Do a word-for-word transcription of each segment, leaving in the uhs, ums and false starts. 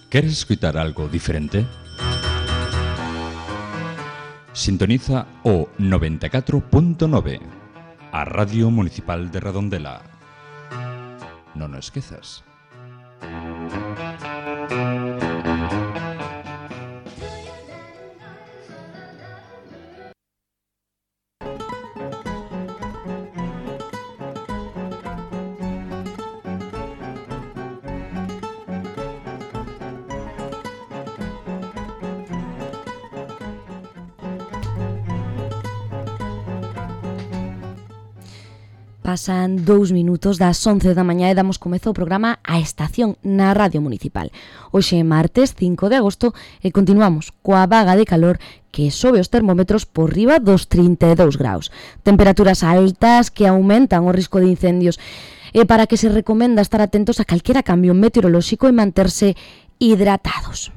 ¿Queres escuchar algo diferente? Sintoniza o noventa e catro punto nove, a Radio Municipal de Redondela. Non o esquezas. Pasan dous minutos das once da mañá e damos comezo ao programa A Estación na Radio Municipal. Hoxe é martes cinco de agosto e continuamos coa vaga de calor que sobe os termómetros por riba dos trinta e dous graus. Temperaturas altas que aumentan o risco de incendios e para que se recomenda estar atentos a calquera cambio meteorolóxico e manterse hidratados.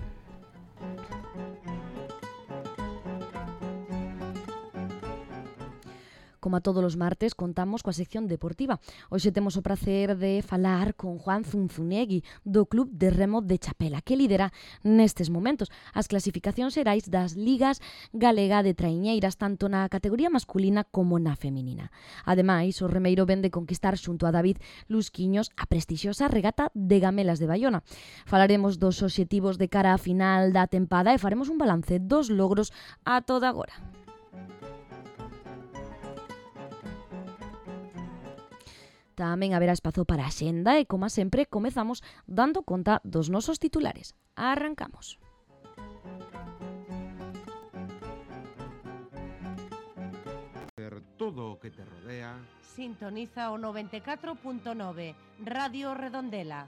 Como a todos os martes, contamos coa sección deportiva. Hoxe temos o prazer de falar con Juan Zunzunegui, do Club de Remo de Chapela, que lidera nestes momentos as clasificacións xerais das ligas galega de traiñeiras, tanto na categoría masculina como na feminina. Ademais, o remeiro ven de conquistar xunto a David Lusquiños a prestixiosa regata de Gamelas de Baiona. Falaremos dos obxectivos de cara á final da tempada e faremos un balance dos logros a toda agora. Tamén haberá espazo para a xenda e, como sempre, comezamos dando conta dos nosos titulares. Arrancamos. Todo o que te rodea. Sintoniza o noventa e catro punto nove, Radio Redondela.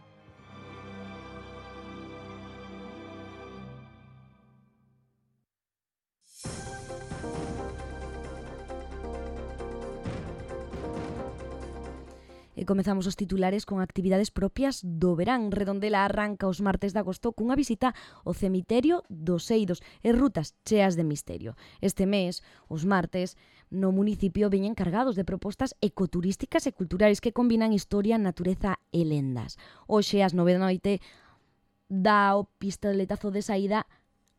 E comezamos os titulares con actividades propias do verán. Redondela arranca os martes de agosto cunha visita ao cemiterio dos Eidos e rutas cheas de misterio. Este mes, os martes, no municipio veñen cargados de propostas ecoturísticas e culturais que combinan historia, natureza e lendas. Hoxe, ás nove da noite, dá o pistoletazo de saída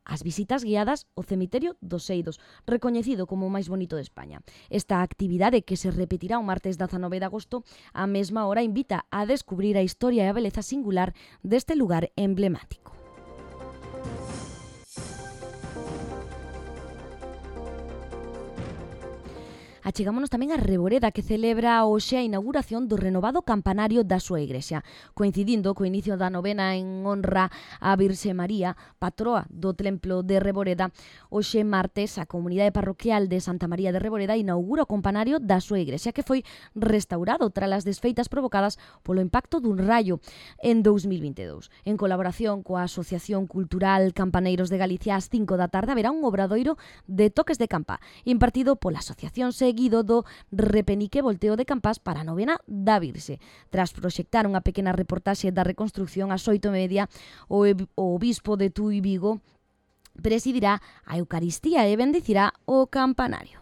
as visitas guiadas ao cemiterio dos Eidos, recoñecido como o máis bonito de España. Esta actividade, que se repetirá o martes dezanove de agosto, á mesma hora invita a descubrir a historia e a beleza singular deste lugar emblemático. Achegámonos tamén a Reboreda, que celebra hoxe a inauguración do renovado campanario da súa igrexa, coincidindo co inicio da novena en honra a Virxe María, patroa do templo de Reboreda. Hoxe martes, a comunidade parroquial de Santa María de Reboreda inaugura o campanario da súa igrexa, que foi restaurado tras as desfeitas provocadas polo impacto dun raio en dous mil vinte e dous. En colaboración coa Asociación Cultural Campaneiros de Galicia, ás cinco da tarde haberá un obradoiro de toques de campa, impartido pola Asociación Seguido do repenique volteo de campás para a novena da Virxe. Tras proxectar unha pequena reportaxe da reconstrucción ás oito e media, o, o obispo de Tui Vigo presidirá a Eucaristía e bendicirá o campanario.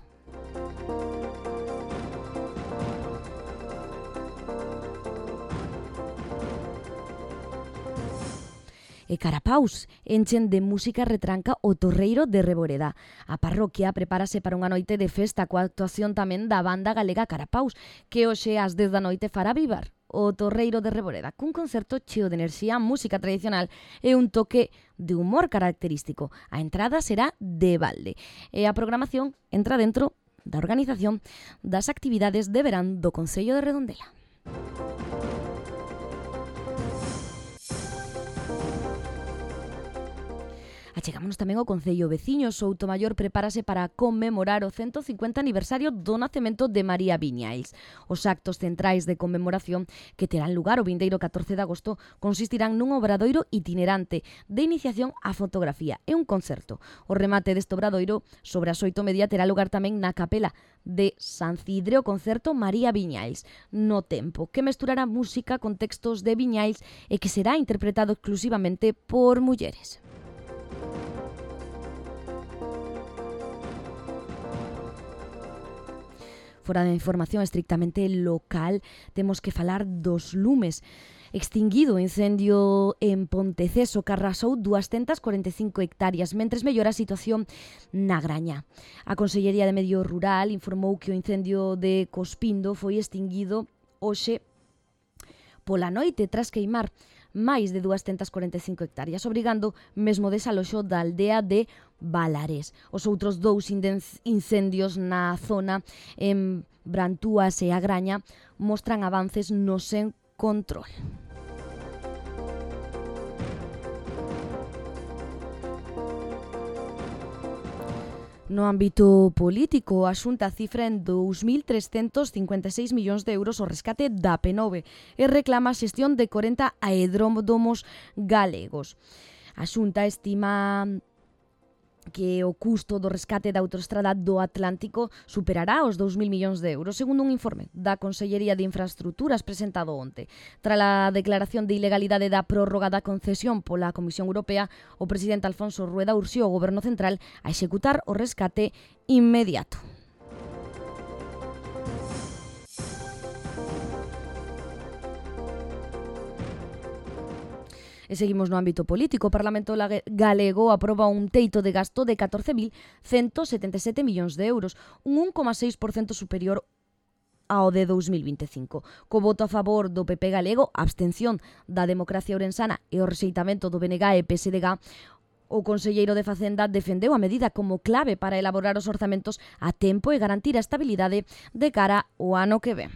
E Carapaus enchen de música retranca o Torreiro de Reboreda. A parroquia prepárase para unha noite de festa coa actuación tamén da banda galega Carapaus, que hoxe ás dez da noite fará vivar o Torreiro de Reboreda cun concerto cheo de enerxía, música tradicional e un toque de humor característico. A entrada será de balde e a programación entra dentro da organización das actividades de verán do Concello de Redondela. Achegámonos tamén ao Concello veciño. Soutomaior prepárase para conmemorar o ciento cincuenta aniversario do nacemento de María Viñais. Os actos centrais de conmemoración, que terán lugar o vindeiro catorce de agosto, consistirán nun obradoiro itinerante de iniciación á fotografía e un concerto. O remate deste obradoiro, sobre as oito e media, terá lugar tamén na capela de San Cidre o concerto María Viñais no tempo, que mesturará música con textos de Viñais e que será interpretado exclusivamente por mulleres. Fora da información estrictamente local, temos que falar dos lumes. Extinguido o incendio en Ponteceso que arrasou doscientas cuarenta e cinco hectáreas, mentres mellora a situación na Graña. A Consellería de Medio Rural informou que o incendio de Cospindo foi extinguido hoxe pola noite tras queimar máis de doscientas cuarenta e cinco hectáreas, obrigando mesmo desaloxo da aldea de Valares. Os outros dous incendios na zona en Brantúas e a Graña mostran avances no sen control. No ámbito político, a Xunta cifra en dous mil trescentos cincuenta e seis millóns de euros o rescate da P nove e reclama a xestión de corenta aeródromos galegos. A Xunta estima que o custo do rescate da autoestrada do Atlántico superará os dous mil millóns de euros, segundo un informe da Consellería de Infraestructuras presentado onte. Tras a declaración de ilegalidade da prórroga da concesión pola Comisión Europea, o presidente Alfonso Rueda urxiu ao Goberno Central a executar o rescate inmediato. E seguimos no ámbito político. O Parlamento galego aproba un teito de gasto de catorce mil ciento setenta e sete millóns de euros, un un coma seis por cento superior ao de dous mil vinte e cinco. Co voto a favor do P P galego, a abstención da Democracia Ourensana e o rexeitamento do B N G e P S D G, o conselleiro de Facenda defendeu a medida como clave para elaborar os orzamentos a tempo e garantir a estabilidade de cara ao ano que ven.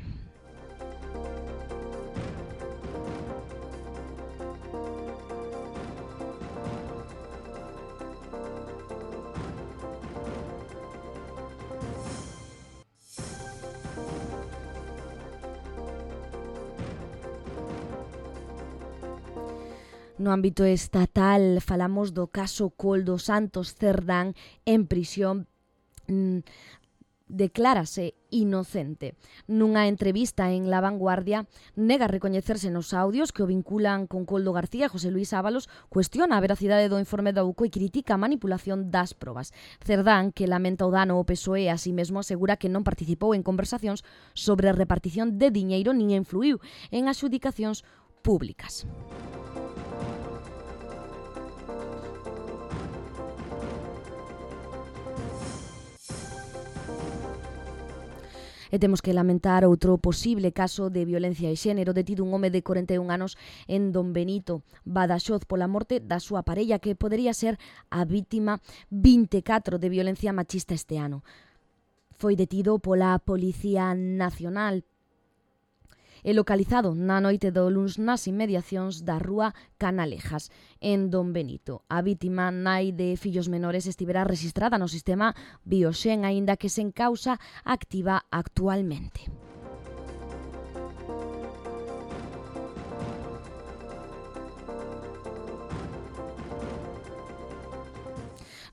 No ámbito estatal, falamos do caso Koldo Santos Cerdán en prisión. Mm, declárase inocente. Nunha entrevista en La Vanguardia, nega recoñecerse nos audios que o vinculan con Koldo García e José Luis Ábalos, cuestiona a veracidade do informe da U C O e critica a manipulación das probas. Cerdán, que lamenta o dano ao P S O E, así mesmo asegura que non participou en conversacións sobre a repartición de diñeiro nin influiu en adxudicacións públicas. E temos que lamentar outro posible caso de violencia de xénero. Detido un home de corenta e un anos en Don Benito, Badaxoz, pola morte da súa parella, que podería ser a vítima vinte e catro de violencia machista este ano. Foi detido pola Policía Nacional e localizado na noite do luns nas inmediacións da rúa Canalejas, en Don Benito. A vítima, nai de fillos menores, estivera rexistrada no sistema Bioxen, aínda que sen causa activa actualmente.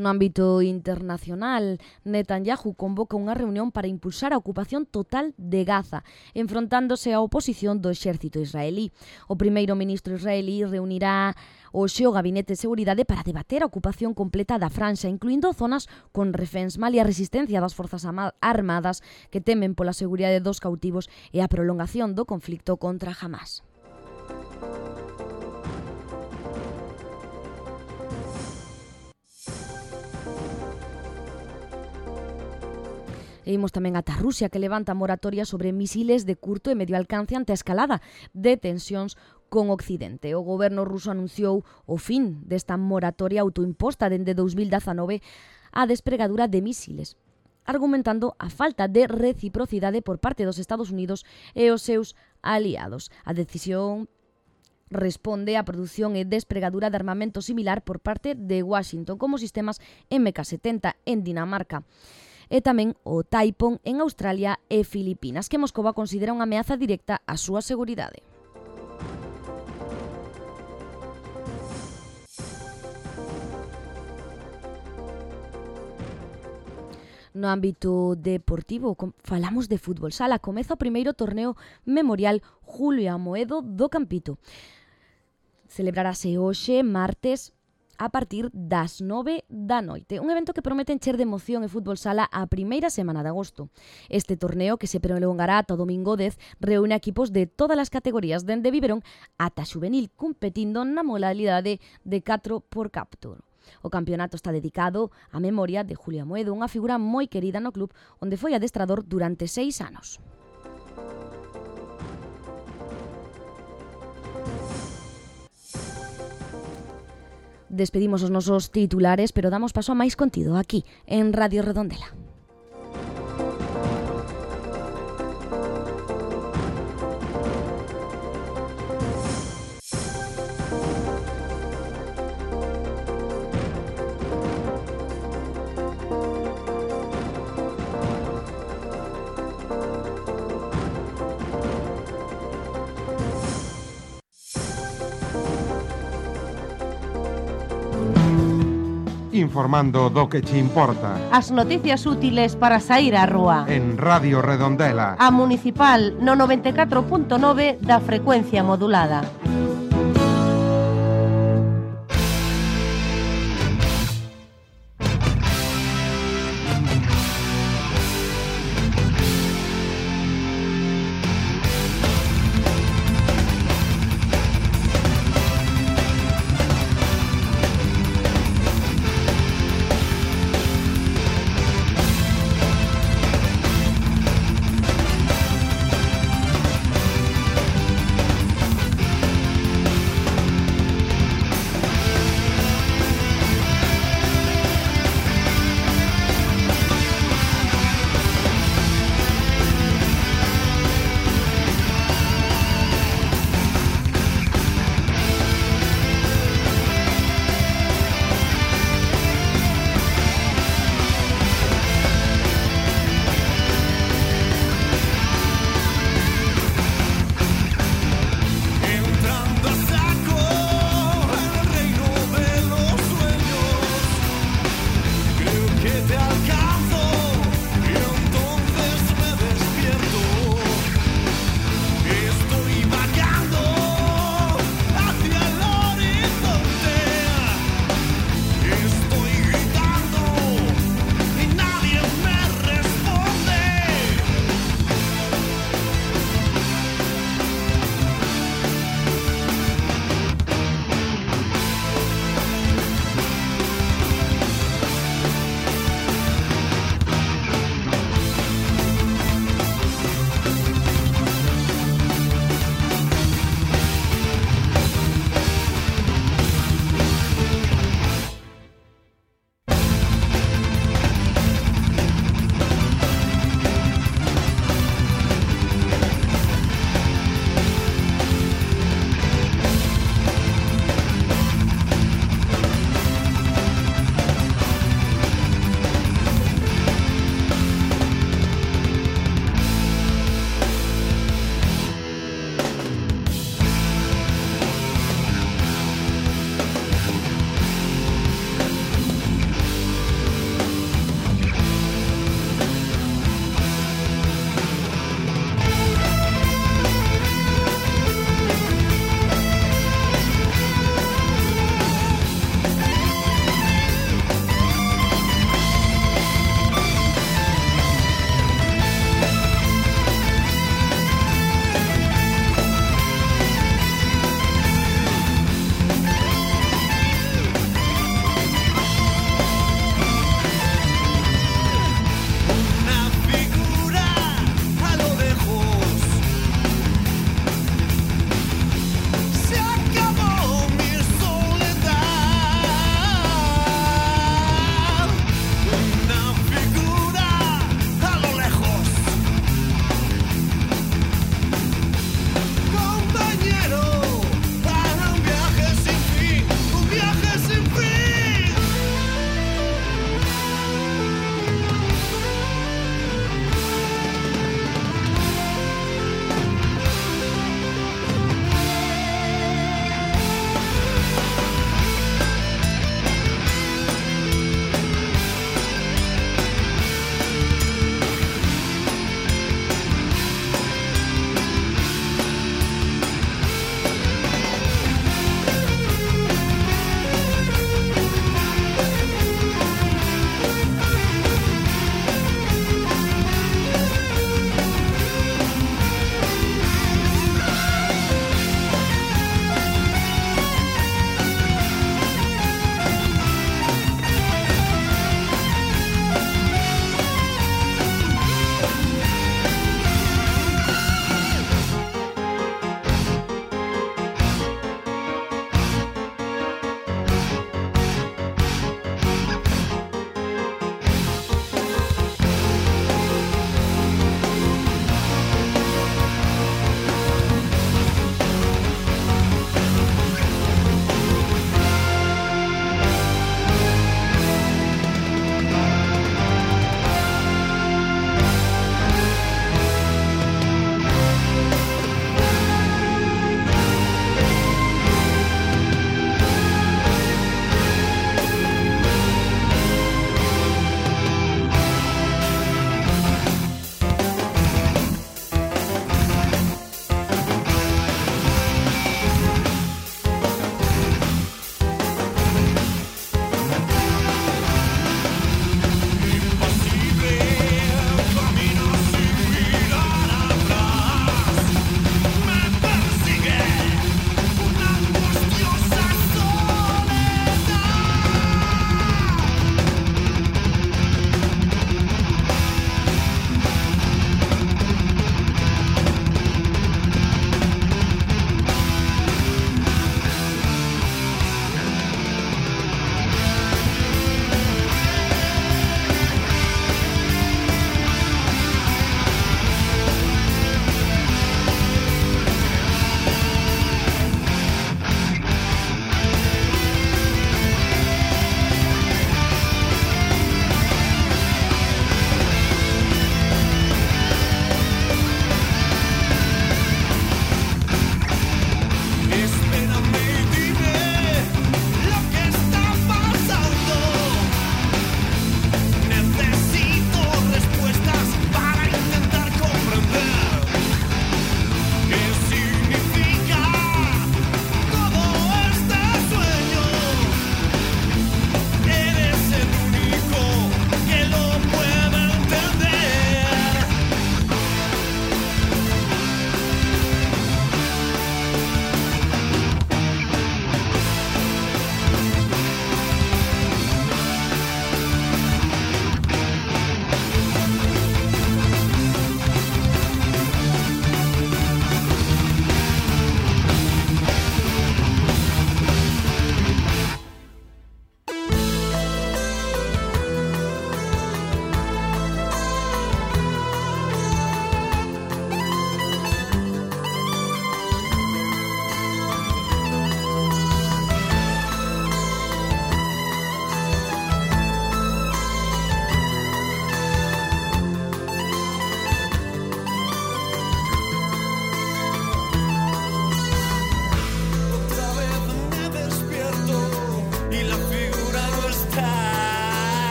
No ámbito internacional, Netanyahu convoca unha reunión para impulsar a ocupación total de Gaza, enfrontándose á oposición do exército israelí. O primeiro ministro israelí reunirá hoxe o Gabinete de Seguridade para debater a ocupación completa da franxa, incluindo zonas con reféns, malia a resistencia das forzas armadas que temen pola seguridade dos cautivos e a prolongación do conflicto contra Hamás. E imos tamén ata Rusia, que levanta moratoria sobre misiles de curto e medio alcance ante a escalada de tensións con Occidente. O goberno ruso anunciou o fin desta moratoria autoimposta dende dous mil dezanove á despregadura de misiles, argumentando a falta de reciprocidade por parte dos Estados Unidos e os seus aliados. A decisión responde á produción e despregadura de armamento similar por parte de Washington, como sistemas eme ka setenta en Dinamarca, e tamén o Taipon en Australia e Filipinas, que Moscova considera unha ameaza directa á súa seguridade. No ámbito deportivo, falamos de fútbol sala. Comeza o primeiro torneo memorial Julio Amoedo do Campito. Celebrarase hoxe, martes, a partir das nove da noite. Un evento que promete encher de emoción e fútbol sala a primeira semana de agosto. Este torneo, que se prolongará ata o domingo dez, reúne equipos de todas as categorías, dende biberón ata xuvenil, competindo na modalidade de catro por captur. O campeonato está dedicado á memoria de Julio Amoedo, unha figura moi querida no club, onde foi adestrador durante seis anos. Despedimos os nosos titulares, pero damos paso a máis contido aquí, en Radio Redondela. Informando do que che importa. As noticias útiles para saír á rúa. En Radio Redondela. A Municipal no noventa e catro punto nove da frecuencia modulada.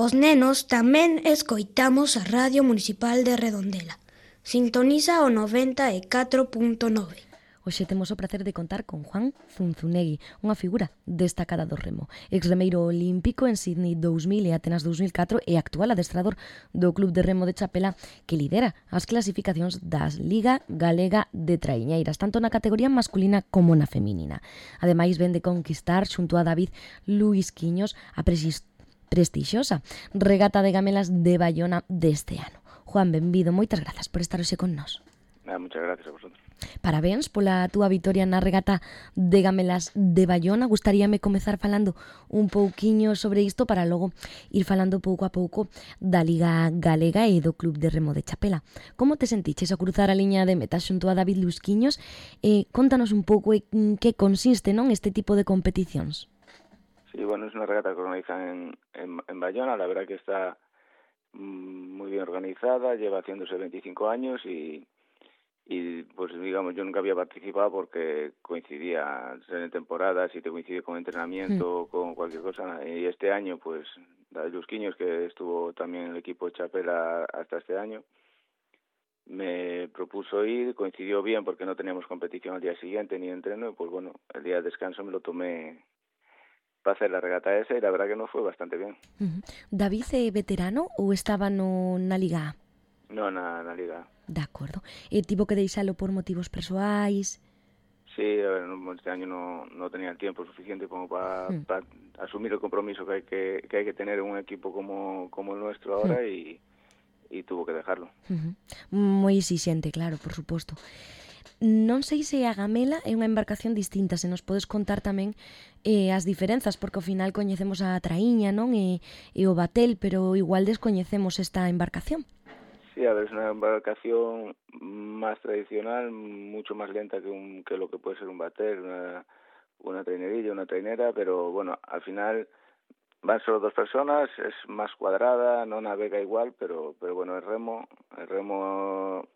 Os nenos tamén escoitamos a Radio Municipal de Redondela. Sintoniza o noventa e catro punto nove. Hoxe temos o prazer de contar con Juan Zunzunegui, unha figura destacada do remo. Exremeiro olímpico en Sydney dous mil e Atenas dous mil catro e actual adestrador do Club de Remo de Chapela que lidera as clasificacións das Liga Galega de Traiñeiras, tanto na categoría masculina como na feminina. Ademais, ven de conquistar xunto a David Luisquiños a prestixiosa regata de gamelas de Bayona deste ano. Juan, benvido, moitas grazas por estar hoxe con nós. Ah, muchas gracias a vosotros. Parabéns pola túa vitoria na regata de gamelas de Bayona. Gustaríame comezar falando un pouquiño sobre isto para logo ir falando pouco a pouco da Liga Galega e do Club de Remo de Chapela. Como te sentiches a cruzar a liña de meta xunto a David Luisquiños? Eh, contanos un pouco en que consiste, non, este tipo de competicións. Sí, bueno, es una regata que organizan en, en, en Bayona. La verdad que está muy bien organizada, lleva haciéndose veinticinco años y, y pues digamos yo nunca había participado porque coincidía en temporadas y te coincide con entrenamiento, mm. con cualquier cosa, y este año pues David Luisquiños, que estuvo también en el equipo de Chapela hasta este año, me propuso ir, coincidió bien porque no teníamos competición al día siguiente ni entreno, pues bueno, el día de descanso me lo tomé para hacer la regata esa y la verdad que nos fue bastante bien. Uh-huh. David é veterano ou estaba no, na Liga A? No, na, na Liga A. De acordo. E tivo que deixalo por motivos persoais? Sí, a ver, este año no, no tenía el tiempo suficiente como para mm. pa asumir el compromiso que hay que, que hay que tener en un equipo como, como el nuestro ahora mm. y, y tuvo que dejarlo. Uh-huh. Moi exixente, claro, por suposto. Non sei se a gamela é unha embarcación distinta, se nos podes contar tamén eh, as diferenzas, porque ao final coñecemos a traíña, non? E, e o batel, pero igual descoñecemos esta embarcación. Sí, a ver, es una embarcación más tradicional, mucho más lenta que, un, que lo que puede ser un batel, una, una trainerilla, una trainera, pero bueno, al final van solo dos personas, es más cuadrada, no navega igual, pero, pero bueno, el remo, el remo...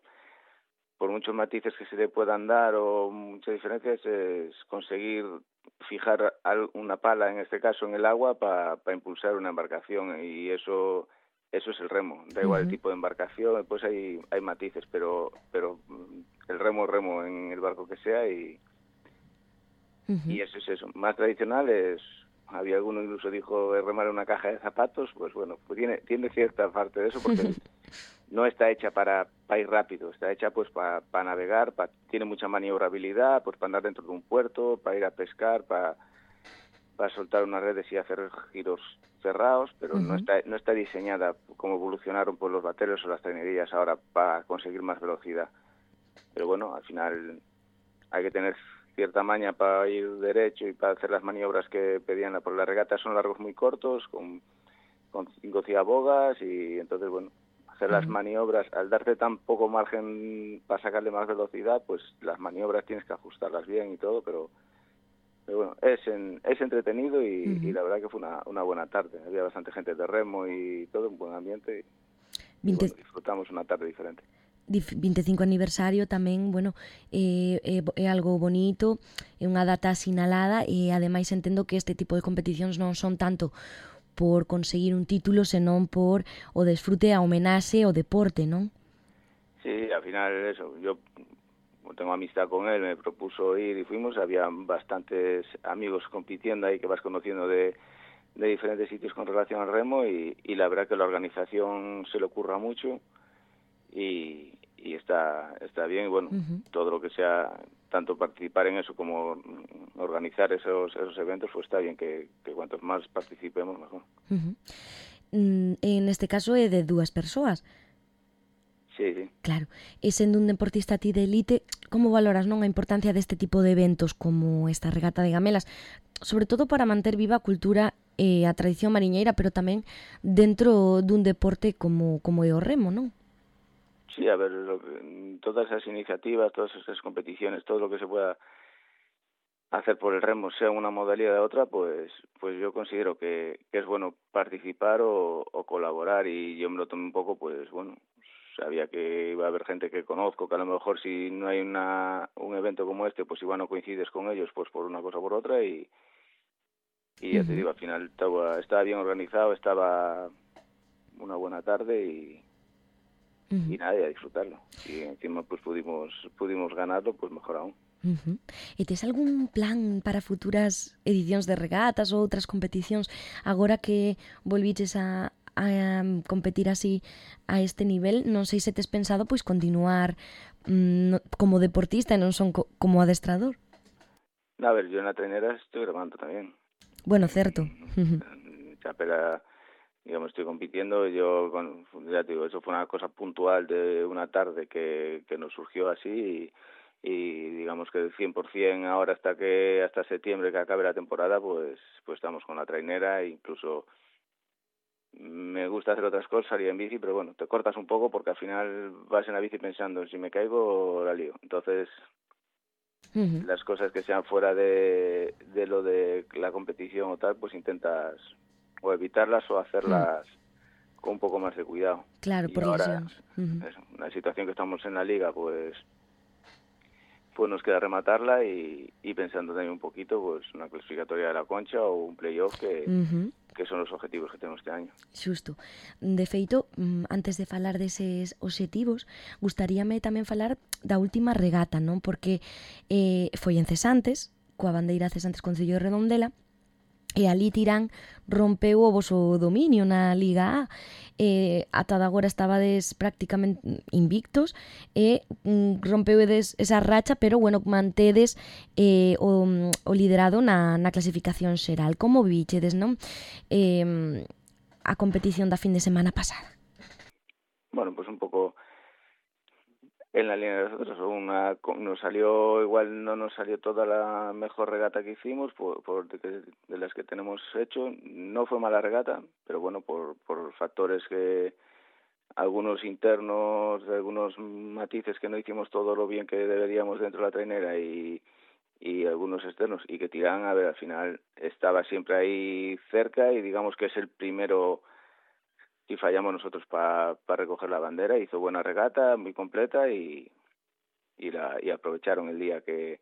por muchos matices que se le puedan dar o muchas diferencias, es conseguir fijar una pala, en este caso en el agua, para pa impulsar una embarcación, y eso eso es el remo. Da igual uh-huh. el tipo de embarcación, pues hay hay matices, pero pero el remo es remo en el barco que sea, y uh-huh. y eso es eso. Más tradicional es, había alguno incluso dijo remar una caja de zapatos, pues bueno, pues tiene tiene cierta parte de eso, porque no está hecha para, para ir rápido, está hecha pues para, para navegar, para, tiene mucha maniobrabilidad, pues para andar dentro de un puerto, para ir a pescar, para, para soltar unas redes y hacer giros cerrados, pero uh-huh. no está no está diseñada como evolucionaron pues los bateros o las trainerías ahora para conseguir más velocidad. Pero bueno, al final hay que tener cierta maña para ir derecho y para hacer las maniobras que pedían por la regata. Son largos muy cortos, con, con cinco ciabogas, y entonces bueno, hacer las maniobras, al darte tan poco margen para sacarle más velocidad, pues las maniobras tienes que ajustarlas bien y todo, pero, pero bueno, es en, es entretenido y, uh-huh. y la verdad que fue una, una buena tarde. Había bastante gente de remo y todo, un buen ambiente, y, y bueno, disfrutamos una tarde diferente. veinticinco aniversario tamén, bueno, é, é, é algo bonito, é unha data asinalada, e ademais entendo que este tipo de competicións non son tanto por conseguir un título, senón por o desfrute, a homenaxe, o deporte, non? Sí, al final eso, yo tengo amistad con él, me propuso ir y fuimos, había bastantes amigos compitiendo ahí que vas conociendo de, de diferentes sitios con relación al remo, y, y la verdad que la organización se le ocurra mucho y, y está, está bien, y bueno, uh-huh. todo lo que sea, tanto participar en eso como organizar esos esos eventos, pues está bien que, que cuantos más participemos, mejor. Uh-huh. Mm, en este caso é de dúas persoas. Sí, sí. Claro. E sendo un deportista ti de elite, como valoras, non, a importancia deste tipo de eventos como esta regata de gamelas, sobre todo para manter viva a cultura e a tradición mariñeira, pero tamén dentro dun deporte como como é o remo, non? Sí, a ver, lo que, todas esas iniciativas, todas esas competiciones, todo lo que se pueda hacer por el remo, sea una modalidad u otra, pues pues yo considero que, que es bueno participar o, o colaborar, y yo me lo tomé un poco, pues bueno, sabía que iba a haber gente que conozco, que a lo mejor si no hay una un evento como este, pues igual no coincides con ellos, pues por una cosa o por otra, y, y ya uh-huh. te digo, al final estaba, estaba bien organizado, estaba una buena tarde y, uh-huh. y nada, y a disfrutarlo. Y encima pues pudimos pudimos ganarlo, pues mejor aún. Uh-huh. E tes algún plan para futuras edicións de regatas ou outras competicións agora que volviches a, a competir así a este nivel? Non sei se tes pensado pois continuar mm, como deportista e non son co- como adestrador. A ver, yo en la trainera estoy grabando también. Bueno, cierto. En Chapela, digamos, estoy compitiendo. Yo, bueno, ya te digo, eso fue una cosa puntual de una tarde que, que nos surgió así y, y digamos que el cien por ciento ahora hasta que hasta septiembre que acabe la temporada, pues pues estamos con la trainera e incluso me gusta hacer otras cosas, salir en bici, pero bueno, te cortas un poco porque al final vas en la bici pensando si me caigo la lío. Entonces, Uh-huh. las cosas que sean fuera de, de lo de la competición o tal, pues intentas o evitarlas o hacerlas uh-huh. con un poco más de cuidado. Claro, y por ahora, uh-huh. es una situación que estamos en la liga, pues pues nos queda rematarla y, y pensando también un poquito, pues una clasificatoria de la Concha o un playoff que... Uh-huh. que son os objetivos que temos este año. Xusto. De feito, antes de falar deses obxectivos, gustaríame tamén falar da última regata, non? Porque eh, foi en Cesantes, coa bandeira Cesantes Concello de Redondela, e ali Tirán rompeu o voso dominio na Liga A. Eh, ata de agora estabades prácticamente invictos e mm, rompeudes esa racha, pero bueno, mantedes eh, o, o liderado na, na clasificación xeral. Como vichedes, non? Eh, a competición da fin de semana pasada. Bueno, pues un pouco en la línea de nosotros, una, nos salió, igual no nos salió toda la mejor regata que hicimos, por, por de, de las que tenemos hecho, no fue mala regata, pero bueno, por, por factores que, algunos internos, algunos matices que no hicimos todo lo bien que deberíamos dentro de la trainera y, y algunos externos, y que Tirán, a ver, al final estaba siempre ahí cerca y digamos que es el primero. Y fallamos nosotros para pa recoger la bandera, hizo buena regata, muy completa y y la y aprovecharon el día que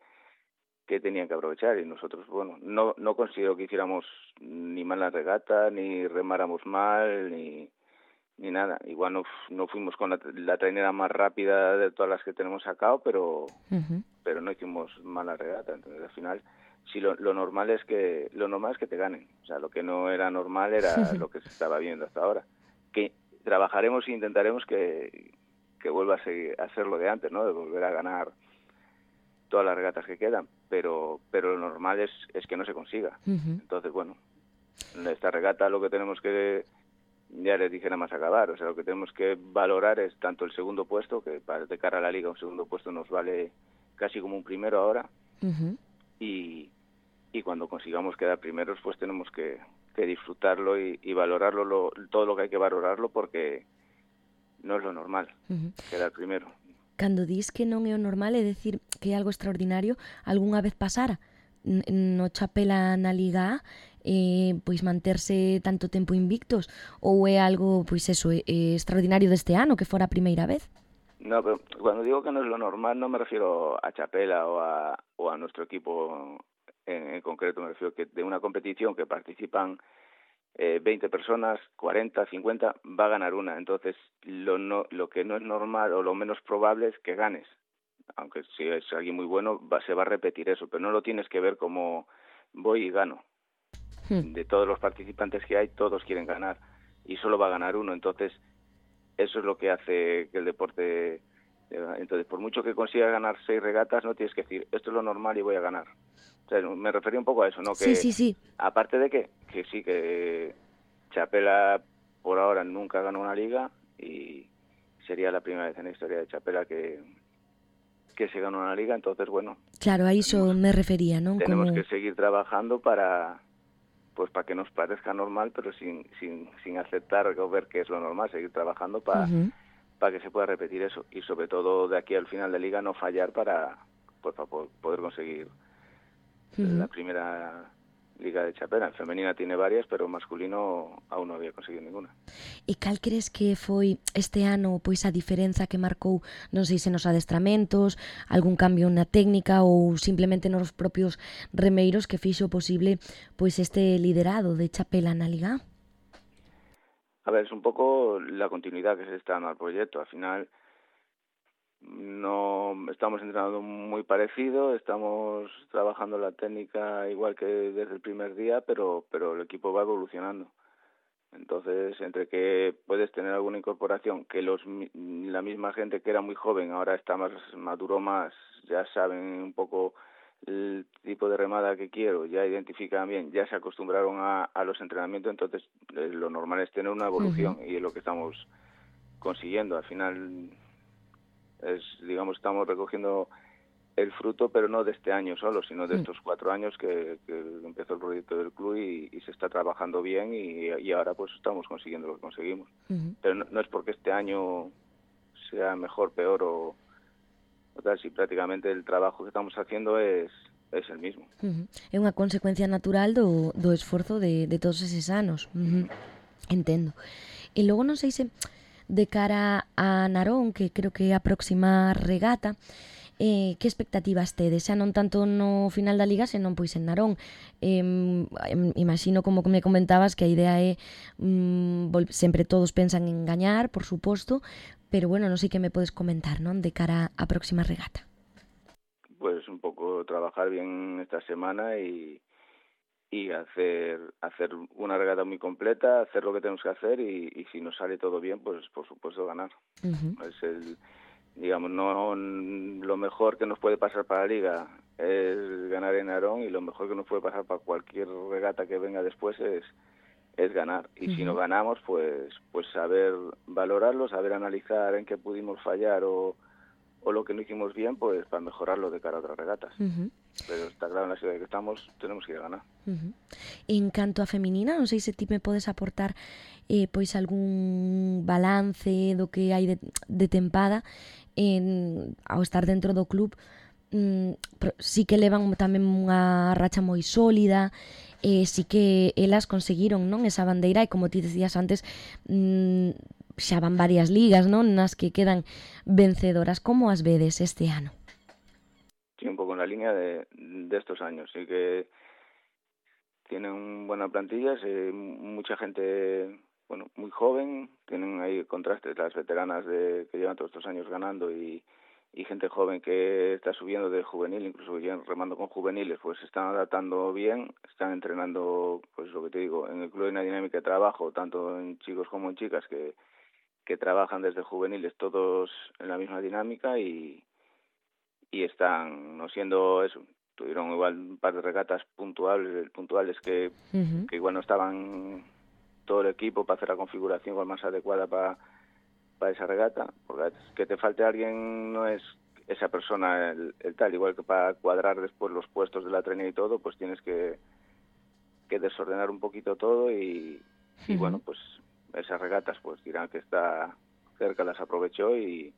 que tenían que aprovechar y nosotros, bueno, no no considero que hiciéramos ni mal la regata, ni remáramos mal, ni ni nada. Igual no, no fuimos con la, la trainera más rápida de todas las que tenemos sacado, pero uh-huh. pero no hicimos mala regata, entonces al final sí lo, lo normal es que lo normal es que te ganen, o sea, lo que no era normal era lo que se estaba viendo hasta ahora. Que trabajaremos e intentaremos que, que vuelva a, seguir, a ser lo de antes, ¿no? De volver a ganar todas las regatas que quedan, pero pero lo normal es, es que no se consiga. Uh-huh. Entonces, bueno, en esta regata lo que tenemos que, ya les dije nada más acabar, o sea, lo que tenemos que valorar es tanto el segundo puesto, que para de cara a la liga un segundo puesto nos vale casi como un primero ahora, uh-huh. y, y cuando consigamos quedar primeros, pues tenemos que... que disfrutarlo y, y valorarlo lo, todo lo que hay que valorarlo porque no es lo normal uh-huh. quedar primero. Cando dis que non é o normal, é decir que é algo extraordinario, algunha vez pasara no Chapela na Liga A eh, pois manterse tanto tempo invictos ou é algo pois eso, é, é extraordinario deste ano que fora a primeira vez? No, pero cuando digo que no es lo normal no me refiero a Chapela o a, o a nuestro equipo En, en concreto, me refiero que de una competición que participan eh, veinte personas, cuarenta, cincuenta, va a ganar una. Entonces, lo, no, lo que no es normal o lo menos probable es que ganes. Aunque si es alguien muy bueno, va, se va a repetir eso, pero no lo tienes que ver como voy y gano. Hmm. De todos los participantes que hay, todos quieren ganar y solo va a ganar uno. Entonces, eso es lo que hace que el deporte... Entonces, por mucho que consiga ganar seis regatas, no tienes que decir, esto es lo normal y voy a ganar. O sea, me refería un poco a eso, ¿no? Que, sí, sí, sí. Aparte de que, que sí, que Chapela por ahora nunca ganó una liga y sería la primera vez en la historia de Chapela que, que se ganó una liga, entonces, bueno... Claro, a eso tenemos, me refería, ¿no? Tenemos Como... que seguir trabajando para pues para que nos parezca normal, pero sin, sin, sin aceptar o ver que es lo normal, seguir trabajando para... Uh-huh. para que se pueda repetir eso y sobre todo de aquí al final de liga no fallar para pues para poder conseguir uh-huh. la primera liga de Chapela. En femenina tiene varias, pero masculino aún no había conseguido ninguna. E cal crees que foi este ano pois a diferenza que marcou, non sei se nos adestramentos, algún cambio na técnica ou simplemente nos propios remeiros que fixo posible pois este liderado de Chapela na liga? A ver, es un poco la continuidad que se está dando al proyecto. Al final no estamos entrenando muy parecido, estamos trabajando la técnica igual que desde el primer día, pero pero el equipo va evolucionando. Entonces, entre que puedes tener alguna incorporación, que los la misma gente que era muy joven ahora está más maduro más, ya saben un poco el tipo de remada que quiero, ya identifican bien, ya se acostumbraron a, a los entrenamientos, entonces eh, lo normal es tener una evolución uh-huh. y es lo que estamos consiguiendo. Al final, es digamos, estamos recogiendo el fruto, pero no de este año solo, sino de estos cuatro años que, que empezó el proyecto del club y, y se está trabajando bien y, y ahora pues estamos consiguiendo lo que conseguimos. Uh-huh. Pero no, no es porque este año sea mejor, peor o, o tal, si prácticamente el trabajo que estamos haciendo es es el mismo. Uh-huh. É unha consecuencia natural do, do esforzo de, de todos eses anos. Uh-huh. Entendo. E logo non sei se de cara a Narón, que creo que é a próxima regata, Eh, que expectativas tedes? Xa non tanto no final da Liga, senón pois en Narón. Eh, imagino, como me comentabas, que a idea é mm, vol- sempre todos pensan en gañar, por suposto, pero bueno, non sei que me podes comentar, non? De cara á próxima regata. Pues un poco trabajar bien esta semana y y hacer hacer una regata muy completa, hacer lo que tenemos que hacer y, y si nos sale todo bien, pues por supuesto ganar. Uh-huh. Es el digamos, no lo mejor que nos puede pasar para la Liga es ganar en Narón y lo mejor que nos puede pasar para cualquier regata que venga después es es ganar. Y uh-huh. si no ganamos, pues pues saber valorarlo, saber analizar en qué pudimos fallar o, o lo que no hicimos bien, pues para mejorarlo de cara a otras regatas. Uh-huh. Pero está claro, en la ciudad que estamos, tenemos que ir a ganar. Uh-huh. En canto a feminina, non sei se ti me podes aportar eh, pois algún balance do que hai de, de tempada en, ao estar dentro do club. Mm, sí que levan tamén unha racha moi sólida, eh, sí que elas conseguiron, non, esa bandeira, e como ti decías antes, mm, xa van varias ligas, non, nas que quedan vencedoras. Como as vedes este ano? Sí, un pouco en la línea de, de estos años. Sí que tienen buena plantilla, sí, mucha gente, bueno, muy joven, tienen ahí contrastes las veteranas de que llevan todos estos años ganando y, y gente joven que está subiendo de juvenil, incluso remando con juveniles, pues se están adaptando bien, están entrenando, pues lo que te digo, en el club hay una dinámica de trabajo, tanto en chicos como en chicas, que, que trabajan desde juveniles todos en la misma dinámica y, y están no siendo eso. Tuvieron igual un par de regatas puntuales, puntuales que, uh-huh. que igual no estaban todo el equipo para hacer la configuración igual más adecuada para, para esa regata, porque que te falte alguien no es esa persona el, el tal, igual que para cuadrar después los puestos de la trenía y todo, pues tienes que, que desordenar un poquito todo y, uh-huh. y bueno, pues esas regatas pues dirán que está cerca, las aprovechó y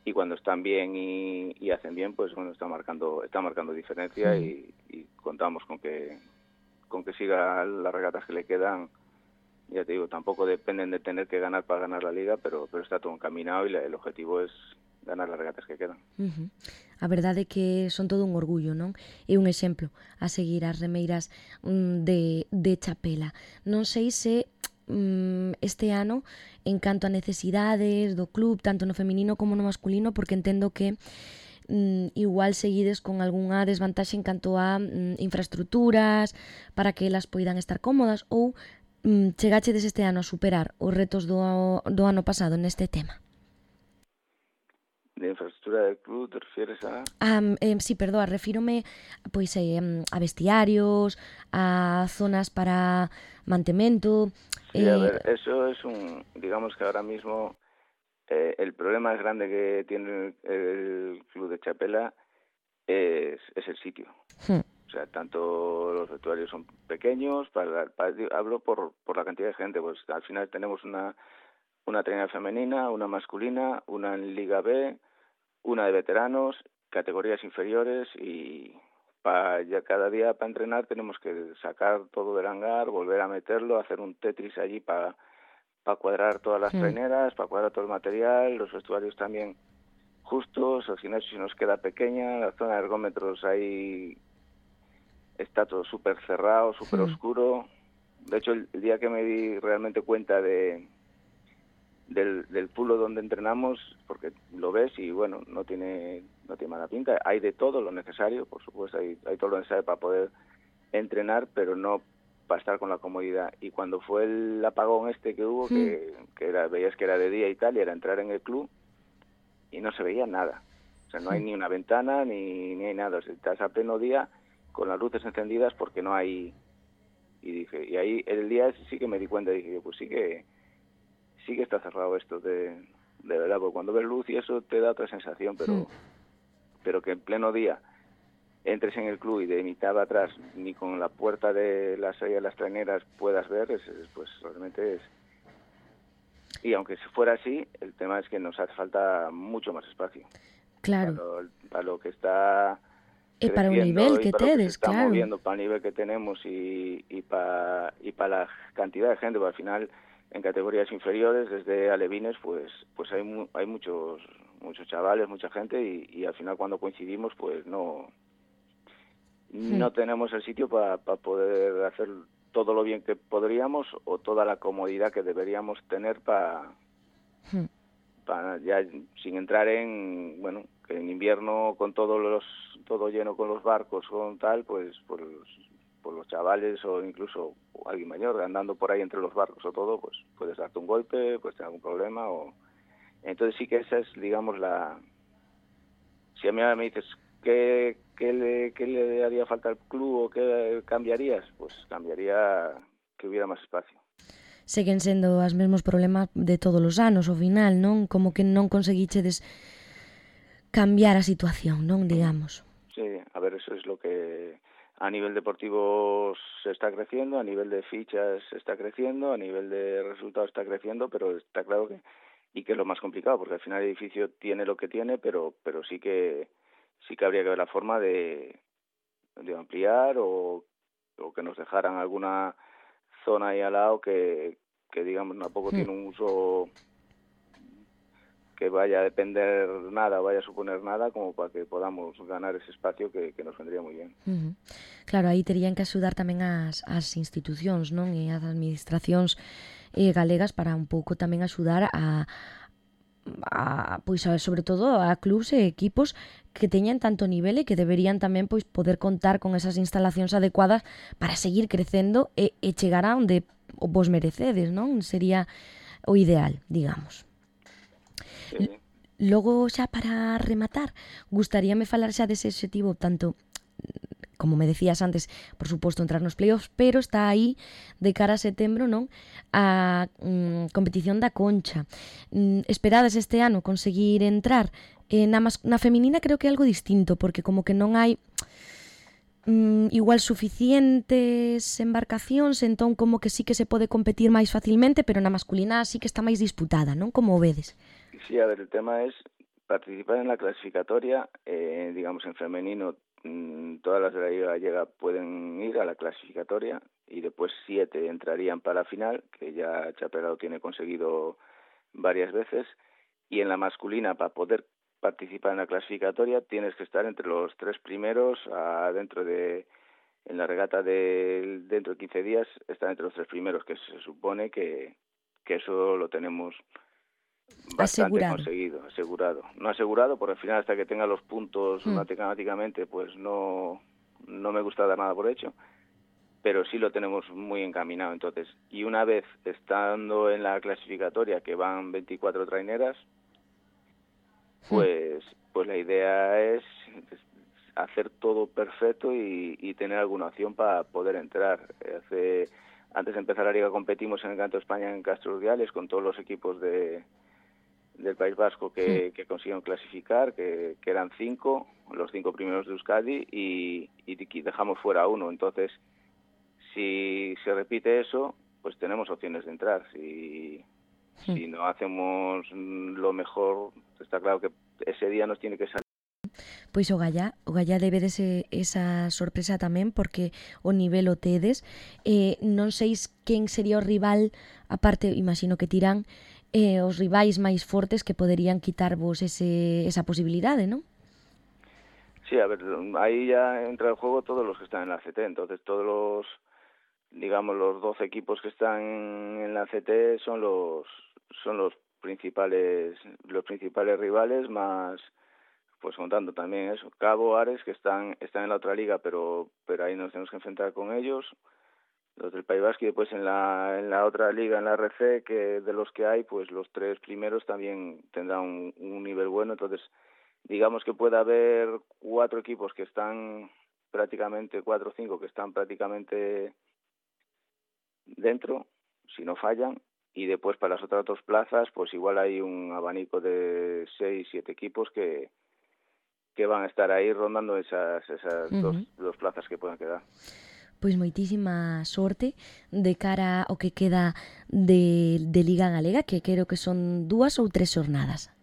y cuando están bien y, y hacen bien, pues bueno, está marcando está marcando diferencia sí. y, y contamos con que con que siga las regatas que le quedan. Ya te digo, tampoco dependen de tener que ganar para ganar la Liga, pero pero está todo encaminado y la, el objetivo es ganar las regatas que quedan. Uh-huh. A verdade é que son todo un orgullo, non? É un exemplo a seguir as remeiras mm, de, de Chapela. Non sei se este ano en canto a necesidades do club, tanto no feminino como no masculino, porque entendo que mm, igual seguides con algunha desvantaxe en canto a mm, infraestructuras para que elas poidan estar cómodas, ou mm, chegachedes este ano a superar os retos do, do ano pasado neste tema? De infraestructura del club, ¿te refieres a...? Um, eh, sí, perdón, refírome pois, eh, a vestiarios, a zonas para mantemento... Sí, eh... a ver, eso es un... Digamos que ahora mismo eh, el problema más grande que tiene el, el club de Chapela es, es el sitio. Hmm. O sea, tanto los vestuarios son pequeños, para, para, hablo por, por la cantidad de gente, pues al final tenemos una... una trenera femenina, una masculina, una en Liga B, una de veteranos, categorías inferiores y para ya cada día para entrenar tenemos que sacar todo del hangar, volver a meterlo, hacer un Tetris allí para para cuadrar todas las sí. treneras, para cuadrar todo el material, los vestuarios también justos, al final si nos queda pequeña, la zona de ergómetros ahí está todo súper cerrado, súper sí. oscuro. De hecho, el, el día que me di realmente cuenta de del, del pulo donde entrenamos, porque lo ves y bueno, no tiene no tiene mala pinta, hay de todo lo necesario, por supuesto, hay, hay todo lo necesario para poder entrenar, pero no para estar con la comodidad. Y cuando fue el apagón este que hubo, mm. que, que era, veías que era de día y tal, y era entrar en el club y no se veía nada. O sea, no hay ni una ventana ni, ni hay nada. O sea, estás a pleno día con las luces encendidas porque no hay... Y dije, y ahí el día sí que me di cuenta, dije, pues sí que sí que está cerrado esto de, de verdad, porque cuando ves luz y eso te da otra sensación, pero sí. pero que en pleno día entres en el club y de mitad atrás ni con la puerta de la salida de las traineras puedas ver, es, es, pues realmente es... Y aunque fuera así, el tema es que nos hace falta mucho más espacio. Claro. Para lo, para lo que está... Y para un nivel que tedes, claro. Estamos viendo, para el nivel que tenemos y, y para y para la cantidad de gente, porque al final en categorías inferiores, desde alevines, pues pues hay mu hay muchos muchos chavales, mucha gente y, y al final cuando coincidimos, pues no hmm. no tenemos el sitio para pa poder hacer todo lo bien que podríamos o toda la comodidad que deberíamos tener para hmm. para ya sin entrar en bueno que en invierno con todos los todo lleno con los barcos con tal pues por los, por los chavales o incluso alguien mayor andando por ahí entre los barcos o todo pues puedes darte un golpe, puedes tener algún problema o entonces sí que esa es digamos la si a mí me dices qué qué le qué le haría falta al club o qué cambiarías pues cambiaría que hubiera más espacio. Seguen sendo os mesmos problemas de todos os anos, ao final, non? Como que non conseguichedes cambiar a situación, non, digamos. Sí, a ver, eso es lo que a nivel deportivo se está creciendo, a nivel de fichas se está creciendo, a nivel de resultados está creciendo, pero está claro que y que es lo más complicado, porque al final el edificio tiene lo que tiene, pero pero sí que sí que habría que ver la forma de, de ampliar o, o que nos dejaran alguna zona ahí al lado que, que digamos tampoco sí. tiene un uso que vaya a depender nada, vaya a suponer nada como para que podamos ganar ese espacio que, que nos vendría muy bien. Uh-huh. Claro, aí terían que axudar tamén as, as institucións, non? E as administracións eh, galegas para un pouco tamén axudar a, a pois a, sobre todo a clubs e equipos que teñan tanto nivel e que deberían tamén pois poder contar con esas instalacións adecuadas para seguir crecendo e, e chegar a onde vos merecedes, non? Sería o ideal, digamos. Sí. Logo, xa para rematar, gustaríame falar xa dese objetivo, tanto, como me decías antes, por suposto, entrar nos playoffs, pero está aí, de cara a setembro, non? A mm, competición da Concha. Mm, esperades este ano conseguir entrar? Eh, na, mas, na feminina creo que é algo distinto, porque como que non hai mm, igual suficientes embarcacións, entón como que sí que se pode competir máis facilmente, pero na masculina sí que está máis disputada, non? Como o vedes? Sí, a ver, el tema es participar en la clasificatoria, eh, digamos en femenino, mmm, todas las de la Liga Gallega pueden ir a la clasificatoria y después siete entrarían para la final, que ya Chapelado tiene conseguido varias veces, y en la masculina, para poder participar en la clasificatoria, tienes que estar entre los tres primeros, a, dentro de, en la regata de dentro de quince días, estar entre los tres primeros, que se supone que, que eso lo tenemos bastante asegurado. conseguido, asegurado. No asegurado, porque al final hasta que tenga los puntos mm. matemáticamente, pues no, no me gusta dar nada por hecho, pero sí lo tenemos muy encaminado. Entonces, y una vez estando en la clasificatoria, que van veinticuatro traineras, pues, mm. pues la idea es hacer todo perfecto y, y tener alguna opción para poder entrar. Hace, antes de empezar la liga competimos en el Campeonato de España en Castro Urdiales con todos los equipos de del País Vasco que, que consiguieron clasificar, que, que eran cinco, los cinco primeros de Euskadi, y, y dejamos fuera uno. Entonces, si se repite eso, pues tenemos opciones de entrar. Si, sí. si no hacemos lo mejor, está claro que ese día nos tiene que salir. Pois o Gallá, o Gallá debe ese, esa sorpresa tamén, porque o nivel o tedes. Eh, non sei quen sería o rival, aparte, imagino que tirán, eh, os rivais máis fortes que poderían quitarvos ese, esa posibilidade, non? Sí, a ver, ahí ya entra en juego todos los que están en la C T, entonces todos los digamos, los doce equipos que están en la C T son los son los principales los principales rivales, más pues contando también eso, Cabo, Ares, que están están en la otra liga, pero pero ahí nos tenemos que enfrentar con ellos, los del País Vasco, y después en la en la otra liga, en la R C, que de los que hay, pues los tres primeros también tendrán un, un nivel bueno. Entonces, digamos que puede haber cuatro equipos que están prácticamente, cuatro o cinco que están prácticamente dentro, si no fallan, y después para las otras dos plazas, pues igual hay un abanico de seis, siete equipos que que van a estar aí rondando esas esas uh-huh. dos, dos plazas que puedan quedar. Pois moitísima sorte de cara ao que queda de, de Liga Galega, que creo que son dúas ou tres xornadas.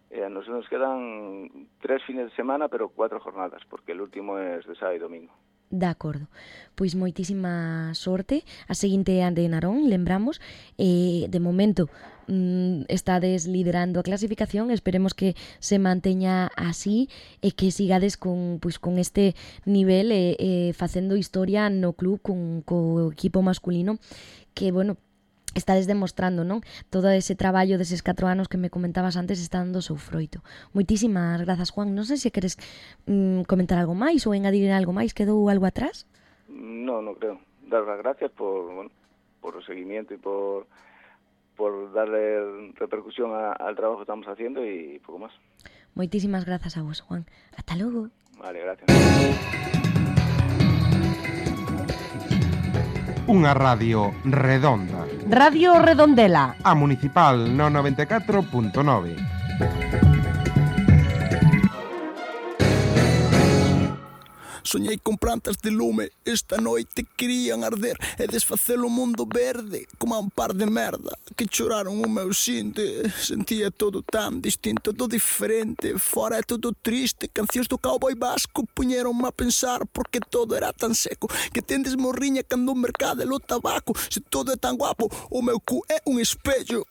Eh, nos, nos quedan tres fines de semana, pero cuatro jornadas, porque el último es de sábado e domingo. De acordo. Pois moitísima sorte. A seguinte é a de Narón, lembramos. Eh, de momento mm, estades liderando a clasificación. Esperemos que se manteña así e que sigades con, pois, con este nivel e eh, eh, facendo historia no club con, co equipo masculino que, bueno, estades demostrando, non? Todo ese traballo deses catro anos que me comentabas antes está dando o seu froito. Moitísimas grazas, Juan. Non sei se queres mm, comentar algo máis ou engadir algo máis. Quedou algo atrás? No, no creo. Dar las gracias por, bueno, por el seguimiento y por, por darle repercusión a, al trabajo que estamos haciendo y poco más. Moitísimas grazas a vos, Juan. Hasta logo. Vale, gracias. Unha radio redonda. Radio Redondela. A Municipal no noventa e catro punto nove. Soñei con plantas de lume, esta noite querían arder e desfacer o mundo verde como un par de merda que choraron o meu xinte. Sentía todo tan distinto, todo diferente, fora é todo triste. Cancións do cowboy vasco puñeronme a pensar porque todo era tan seco que tendes morriña cando o mercado é o tabaco. Se todo é tan guapo, o meu cu é un espello.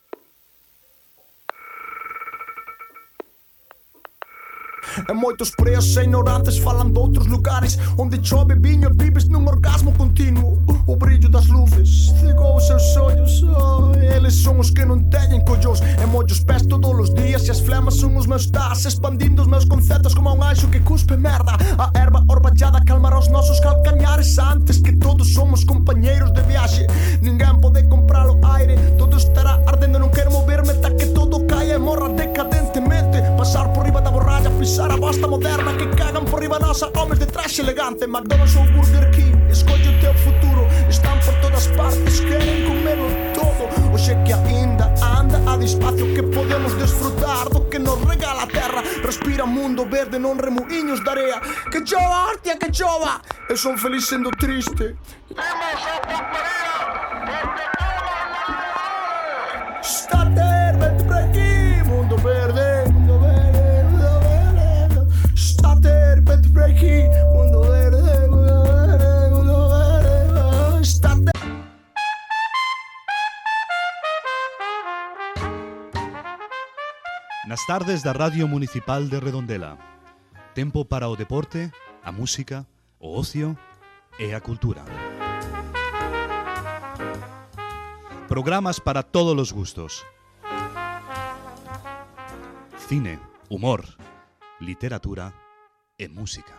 E moitos preos e ignorantes falan doutros lugares onde chove viño e vives nun orgasmo continuo. O brillo das luces cegou os seus ollos, oh, eles son os que non teñen collós. E mollos pés todos os días e as flemas son os meus das, expandindo os meus conceptos como un anxo que cuspe merda. A erva orballada calmará os nosos calcañares antes que todos somos compañeiros de viaxe. Ninguén pode comprar o aire, todo estará ardendo, non quero moverme ata que todo caia e morra decadentemente. Pasar por riba da borralla, pisar a bosta moderna que cagan por riba nosa, homes de traxe elegante. McDonald's ou Burger King, escolle o teu futuro. Están por todas partes, queren comelo todo. Oxe que aínda anda a despacio que podemos desfrutar do que nos regala a terra. Respira mundo verde, non remuiños de area. Que chova, hostia, que chova. Eu son feliz sendo triste. Temos a portería, porque todo estate, vente por aquí. Mundo verde, mundo verde, mundo verde. Estate, vente por aquí. Mundo verde, mundo verde, mundo verde. Estate. Nas tardes da Radio Municipal de Redondela. Tempo para o deporte, a música, o ocio e a cultura. Programas para todos os gustos. Cine, humor, literatura e música.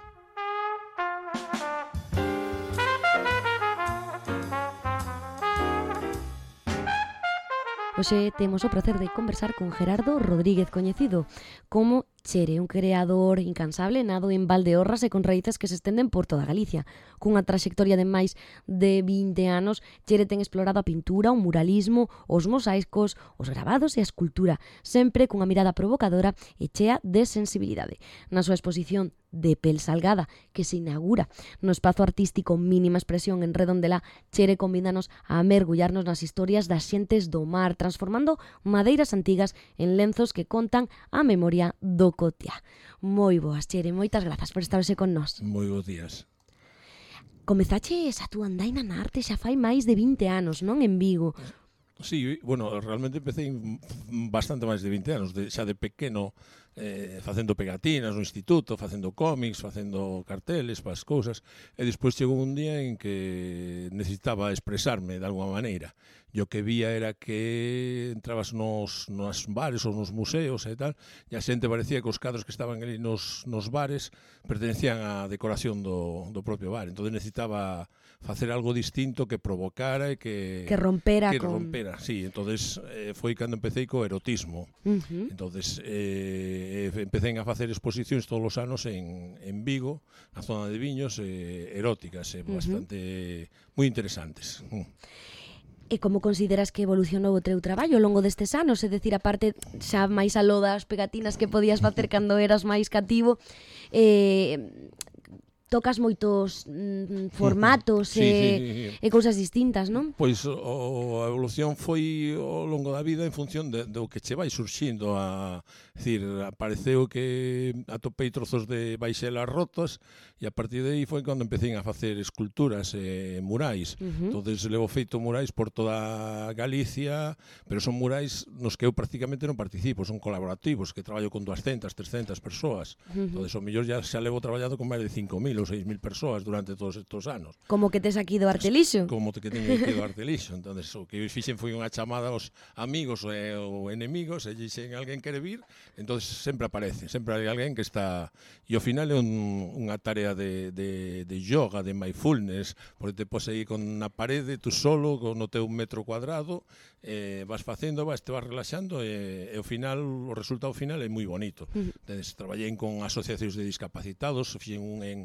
Hoxe temos o placer de conversar con Gerardo Rodríguez, coñecido como Chere, un creador incansable nado en Valdeorras e con raíces que se estenden por toda Galicia. Cunha traxectoria de máis de vinte anos, Chere ten explorado a pintura, o muralismo, os mosaicos, os gravados e a escultura, sempre cunha mirada provocadora e chea de sensibilidade. Na súa exposición de Pel Salgada, que se inaugura no espazo artístico Mínima Expresión en Redondela, Chere convídanos a mergullarnos nas historias das xentes do mar, transformando madeiras antigas en lenzos que contan a memoria do cotia. Moi boas, Chere, moitas grazas por estar hoxe con nós. Moi bons días. Comezaches a túa andaina na arte xa fai máis de vinte anos, non, en Vigo? Sí, bueno, realmente empecé bastante máis de vinte anos, de, xa de pequeno eh, facendo pegatinas no instituto, facendo cómics, facendo carteles para as cousas, e despois chegou un día en que necesitaba expresarme de alguma maneira. E o que vía era que entrabas nos, nos bares ou nos museos e tal, e a xente parecía que os cadros que estaban ali nos, nos bares pertenecían á decoración do, do propio bar. Entón necesitaba facer algo distinto que provocara e que... Que rompera que con... rompera, sí. Entonces eh, foi cando empecé co erotismo. Uh-huh. Entonces eh, empecé a facer exposicións todos os anos en, en Vigo, na zona de viños, eh, eróticas, eh, bastante... Uh-huh. moi interesantes. Mm. E como consideras que evolucionou o teu traballo ao longo destes anos? É dicir, a parte xa máis aló das pegatinas que podías facer cando eras máis cativo, eh, tocas moitos mm, formatos sí, e, sí, sí, sí. e cousas distintas, non? Pois o, a evolución foi ao longo da vida en función de, do que che vai surxindo. A, decir, apareceu que atopei trozos de baixelas rotas e a partir de aí foi cando empecé a facer esculturas e murais. Uh-huh. Entonces levo feito murais por toda Galicia, pero son murais nos que eu prácticamente non participo, son colaborativos, que traballo con doscientas, trescientas persoas. Uh-huh. Entonces o mellor ya xa levo traballado con máis de cinco mil ou seis mil persoas durante todos estes anos. Como que tes aquí do Artelixo? Como que teño aquí do Artelixo. Entonces o que fixen foi unha chamada aos amigos e ou enemigos, e dixen alguén quere vir, entonces sempre aparece, sempre hai alguén que está... E ao final é un, unha tarea de, de, de yoga, de mindfulness, porque te pos aí con na parede, tú solo, con o teu metro cuadrado, eh, vas facendo, vas, te vas relaxando, e, e ao final, o resultado final é moi bonito. Uh-huh. Entonces, traballei con asociacións de discapacitados, fixen un en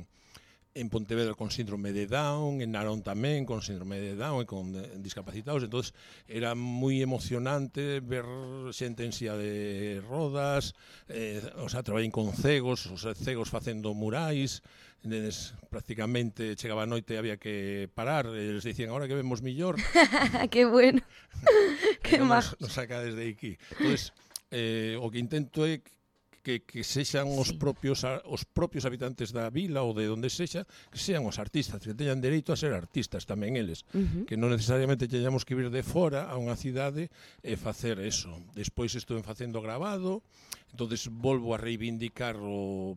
en Pontevedra con síndrome de Down, en Narón tamén con síndrome de Down e con discapacitados. Entonces era moi emocionante ver xente en silla de rodas, eh, o sea, traballei con cegos, os cegos facendo murais, entonces, prácticamente chegaba a noite e había que parar, e les dicían, ahora que vemos millor. Que bueno. Que nos, nos saca desde aquí. Entonces, eh, o que intento é que, que sexan os propios os propios habitantes da vila ou de onde sexa, que sean os artistas, que teñan dereito a ser artistas tamén eles, uh-huh. que non necesariamente teñamos que vir de fora a unha cidade e facer eso. Despois estuve facendo gravado, entonces volvo a reivindicar o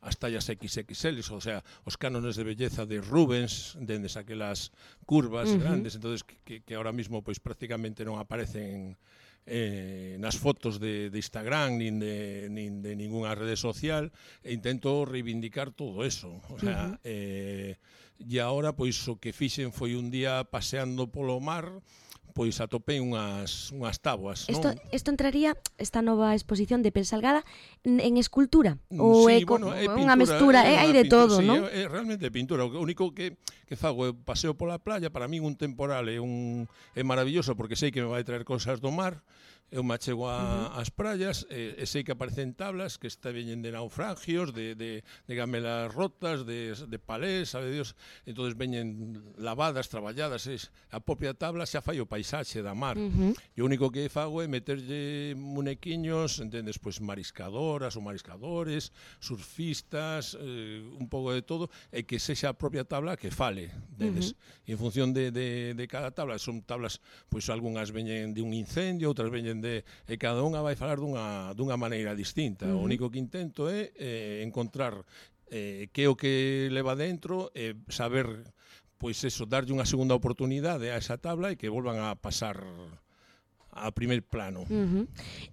as tallas equis equis ele, o sea, os cánones de belleza de Rubens, dendes aquelas curvas uh-huh. grandes, entonces que, que ahora mismo pois prácticamente non aparecen Eh, nas fotos de, de Instagram nin de, nin de ninguna rede social, e intento reivindicar todo eso, o sea, uh-huh. eh, e agora pois o que fixen foi un día paseando polo mar, pois atopei unhas, unhas tabuas, Esto, non? Isto entraría, esta nova exposición de Pensalgada, en escultura? Ou sí, é, bueno, é unha mestura, é, hai de pintura, todo, sí, non? É, é realmente pintura, o único que, que fago é paseo pola playa, para min un temporal é, un, é maravilloso, porque sei que me vai traer cosas do mar, eu me achego a, uh-huh. ás praias, e, e sei que aparecen tablas que está veñen de naufragios, de, de, de gamelas rotas, de, de palés, sabe Dios, entonces veñen lavadas, traballadas, es, a propia tabla xa fai o paisaxe da mar. Uh-huh. E o único que fago é meterlle munequiños, entendes, pois mariscadoras ou mariscadores, surfistas, eh, un pouco de todo, e que sexa a propia tabla que fale, entendes? Uh-huh. E en función de, de, de cada tabla, son tablas, pois algunhas veñen de un incendio, outras veñen de, e cada unha vai falar dunha, dunha maneira distinta. Uh-huh. O único que intento é eh, encontrar eh, que é o que leva dentro, e eh, saber, pois eso, darlle unha segunda oportunidade a esa tabla e que volvan a pasar a primer plano. Uh-huh.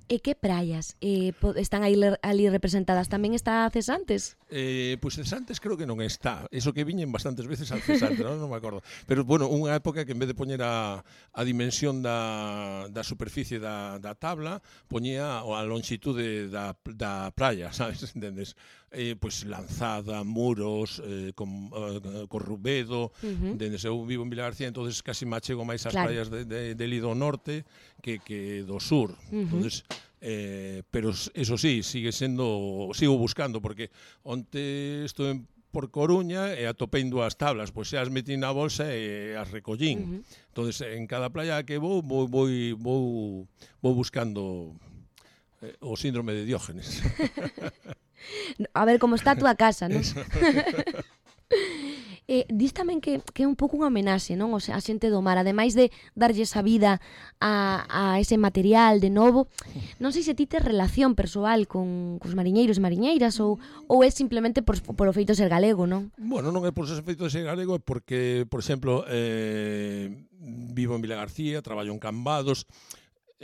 E que praias eh, están aí, ali representadas? Tamén está Cesantes? Eh, pois pues Cesantes creo que non está. Eso que viñen bastantes veces al Cesantes, non, non me acordo. Pero, bueno, unha época que en vez de poñer a, a dimensión da, da superficie da, da tabla, poñía a longitude da, da praia, sabes, entendes? Eh, pois pues, Lanzada, Muros, eh, con, uh, Corrubedo, uh-huh. entendes? Eu vivo en Vilagarcía, entonces casi me achego máis ás claro. praias de, de, de Lido Norte que, que do sur. Uh-huh. Entonces, eh, pero eso sí, sigue sendo, sigo buscando, porque onte estou en por Coruña e atopei dúas tablas, pois xa as metí na bolsa e as recollín. Uh-huh. Entonces, en cada playa que vou, vou, vou, vou, vou buscando eh, o síndrome de Diógenes. A ver como está a túa casa, non? Eh, dis tamén que, que é un pouco unha homenaxe, non? O sea, a xente do mar, ademais de darlle esa vida a, a ese material de novo, non sei se ti tes relación persoal con cos mariñeiros e mariñeiras ou, ou é simplemente por, por o feito de ser galego, non? Bueno, non é por ser feito de ser galego, é porque, por exemplo, eh, vivo en Vila García, traballo en Cambados,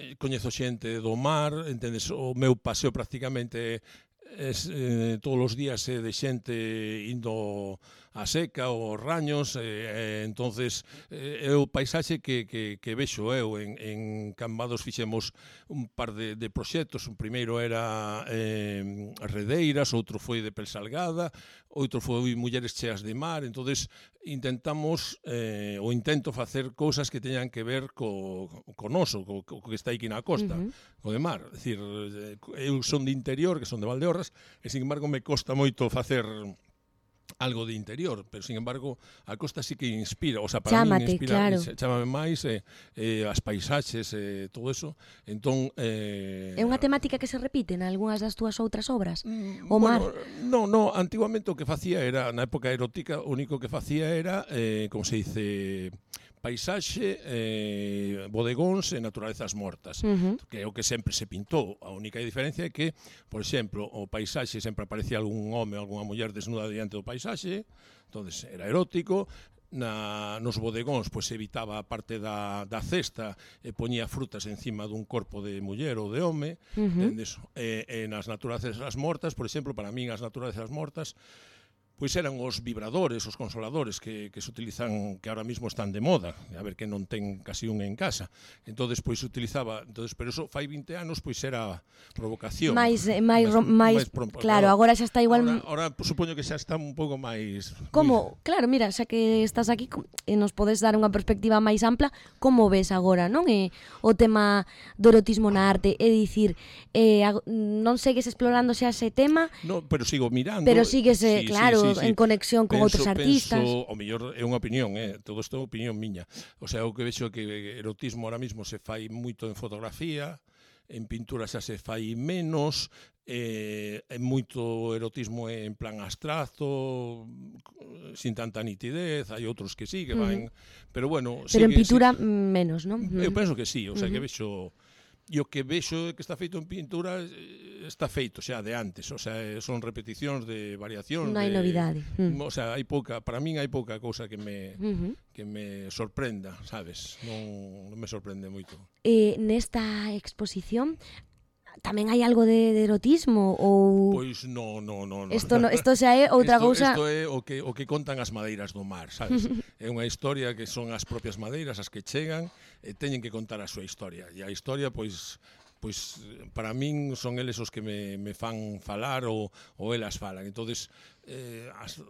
eh, coñezo xente do mar, entendes, o meu paseo prácticamente es, eh, todos os días é de xente indo a seca ou raños, eh, entonces eh, é o paisaxe que, que, que vexo eu. En, en Cambados fixemos un par de, de proxectos, un primeiro era eh, Redeiras, outro foi de Pelsalgada, outro foi Mulleres cheas de mar, entonces intentamos, eh, ou intento facer cousas que teñan que ver co, co noso, co, co que está aquí na costa, uh-huh. co de mar. É dicir, eu son de interior, que son de Valdeorras, e sin embargo me costa moito facer algo de interior, pero sin embargo a costa sí que inspira, o sea, para Chámate, mí inspira, claro. chámame máis eh, eh, as paisaxes e eh, todo eso. Entón eh, é unha temática que se repite en algunhas das túas outras obras? Mm, o mar? Bueno, no, no, antiguamente o que facía era, na época erótica, o único que facía era, eh, como se dice, paisaxe, eh, bodegóns e naturalezas mortas, uh-huh. que é o que sempre se pintou. A única diferencia é que, por exemplo, o paisaxe sempre aparecía algún home ou algunha muller desnuda diante do paisaxe, entonces era erótico. Na, nos bodegóns pois evitaba a parte da, da cesta e poñía frutas encima dun corpo de muller ou de home, uh-huh. e, e nas naturalezas mortas, por exemplo, para min as naturalezas mortas pois eran os vibradores, os consoladores que, que se utilizan, que ahora mismo están de moda, a ver que non ten casi un en casa. Entonces pois se utilizaba, entonces pero eso fai vinte anos pois era provocación. Mais máis máis claro, agora xa está igual. Ahora, ahora supoño que xa está un pouco máis. Como, claro, mira, xa que estás aquí e nos podes dar unha perspectiva máis ampla, como ves agora, non? E o tema do erotismo na arte, é dicir, eh, non segues explorando xa ese tema? No, pero sigo mirando. Pero sigues, sí, claro, sí, sí, sí. en conexión con penso, outros artistas. Penso, o mellor é unha opinión, eh? Todo isto é opinión miña. O sea, o que vexo é que erotismo ahora mismo se fai moito en fotografía, en pintura xa se fai menos, eh, é moito erotismo en plan abstracto, sin tanta nitidez, hai outros que sí, que van, uh-huh. pero bueno... Pero sí en que, pintura sí, menos, non? Eu penso que sí, o sea, uh-huh. que vexo... E o que vexo que está feito en pintura está feito xa de antes, o sea, son repeticións de variacións. Non hai de, novidade. Mm. O sea, hai pouca, para min hai pouca cousa que me uh-huh. que me sorprenda, sabes? Non, non me sorprende moito. Eh, nesta exposición tamén hai algo de, de erotismo ou Pois no, no, no, no. Isto no, isto xa é outra cousa. Isto é o que o que contan as madeiras do mar, sabes? É unha historia que son as propias madeiras as que chegan e teñen que contar a súa historia. E a historia pois pois para min son eles os que me, me fan falar ou, ou elas falan. Entonces, eh, as,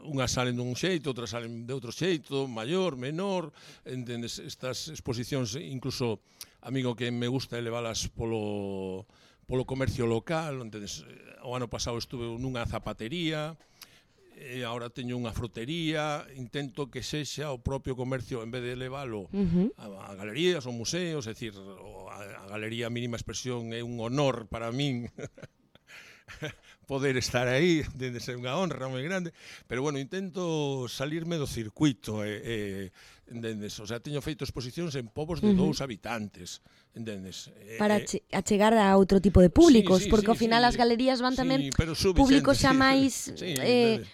unhas salen dun xeito, outras salen de outro xeito, maior, menor, entendes? Estas exposicións, incluso a mí o que me gusta é leválas polo, polo comercio local, entendes? O ano pasado estuve nunha zapatería, e agora teño unha frutería, intento que sexa o propio comercio, en vez de leválo uh-huh. a, a galerías ou museos, é dicir, a, a galería mínima expresión é un honor para min poder estar aí, debe ser unha honra moi grande, pero bueno, intento salirme do circuito, e, e, entendes? O sea, teño feito exposicións en povos de uh-huh. dous habitantes, entendes? Para che, achegar a outro tipo de públicos, sí, sí, porque sí, ao final sí, as galerías van tamén sí, públicos xa máis... Sí, eh,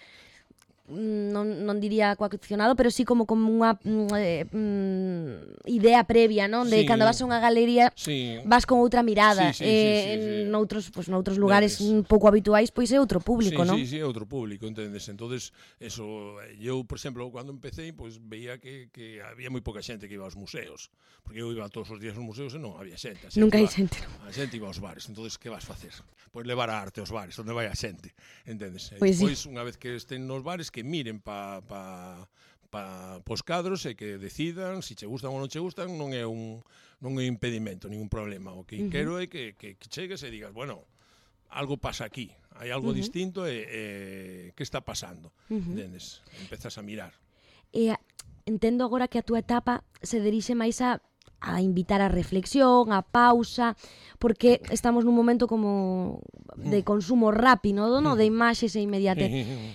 non, non diría coaccionado, pero sí como como unha eh, mm, idea previa, non? De sí, cando vas a unha galería sí. vas con outra mirada, sí, sí, eh, sí, sí, sí. noutros, pues, noutros lugares un pouco habituais, pois é outro público, sí, non? Sí, sí, é outro público, entendes? Entonces, eso, eu, por exemplo, cando empecé, pois veía que, que había moi pouca xente que iba aos museos, porque eu iba todos os días aos museos e non había xente. Nunca hai xente, non? A xente iba aos bares, entonces que vas facer? Pois levar a arte aos bares, onde vai a xente, entendes? Pois Pois sí. unha vez que estén nos bares, que miren pa pa pa pos cadros e que decidan se si che gustan ou non che gustan, non é un non é impedimento, ningún problema. O que uh-huh. quero é que, que, que chegues e digas, bueno, algo pasa aquí, hai algo uh-huh. distinto e, e que está pasando, uh-huh. entendes? Empezas a mirar. E entendo agora que a túa etapa se dirixe máis a a invitar a reflexión, a pausa, porque estamos nun momento como de consumo rápido, no? De imaxes e inmediatez.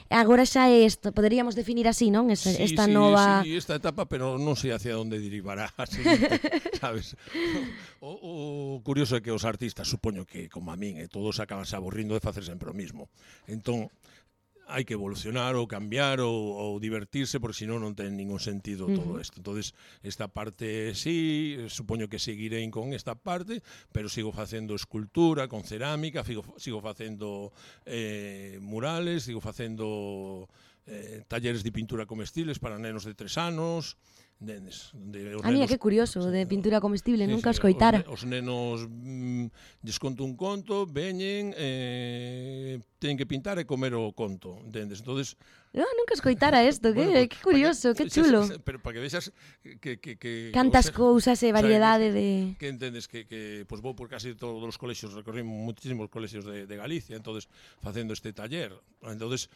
Agora xa é isto, poderíamos definir así, non? Esta, sí, esta sí, nova... Sí, esta etapa, pero non sei hacia onde derivará, así, sabes? O, o curioso é que os artistas, supoño que, como a min, eh, todos acaban se aburrindo de facer sempre o mismo. Entón, hai que evolucionar ou cambiar ou, ou divertirse, porque senón non ten ningún sentido todo isto. Entonces, esta parte sí, supoño que seguirei con esta parte, pero sigo facendo escultura con cerámica, sigo, sigo facendo eh, murales, sigo facendo eh, talleres de pintura comestibles para nenos de tres anos. Nenes, de, a mí, que curioso, sí, de pintura comestible, sí, nunca sí, os coitara. Os, os nenos mm, lles conto un conto, veñen, eh, teñen que pintar e comer o conto, entendes? Entonces, no, nunca os coitara isto, que, bueno, pues, que curioso, que, que chulo. Xa, pero para que vexas que... que, que cantas cousas e variedade de... Que entendes que, que pues, vou por casi todos os colexios, recorrimos muchísimos colexios de, de Galicia, entonces facendo este taller, entonces...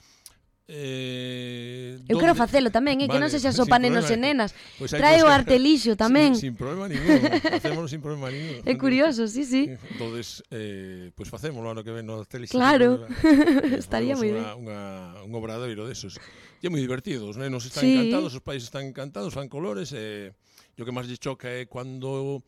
Eh, eu quero facelo tamén, eh, vale, que non sexa só pa nenos e nenas. Pues trae o artelixo tamén. Sin, sin problema ningún, facémolo sin problema ningún. É curioso, sí, sí. Entonces, eh, pues facémolo ano que ven no artelixo. Claro, estaría moi ben. Un obradoiro desos. E é moi divertido, os nenos están sí. encantados, os pais están encantados, fan colores, e eh, o que máis lle choca é cando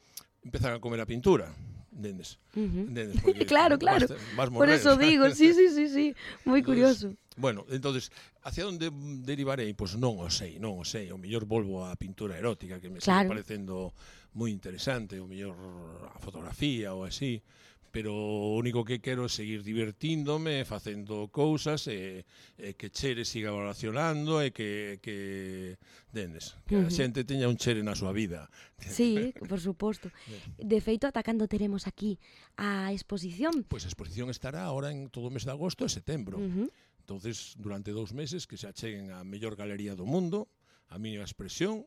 empezan a comer a pintura. Entendes? Uh-huh. Entendes? Claro, claro. Vas, vas por eso digo, sí, sí, sí, sí. Moi curioso. Bueno, entonces, hacia onde derivarei? Pois pues non o sei, non o sei. O mellor volvo á pintura erótica, que me claro. está parecendo moi interesante, o mellor a fotografía ou así, pero o único que quero é seguir divertíndome, facendo cousas, e, e que Chere siga evolucionando, e que, que dendes, que uh-huh. a xente teña un Chere na súa vida. Sí, por suposto. De feito, ata cando teremos aquí a exposición? Pois pues a exposición estará ahora en todo o mes de agosto e setembro. Uh-huh. Entonces, durante dous meses que se acheguen a mellor galería do mundo, a miña expresión,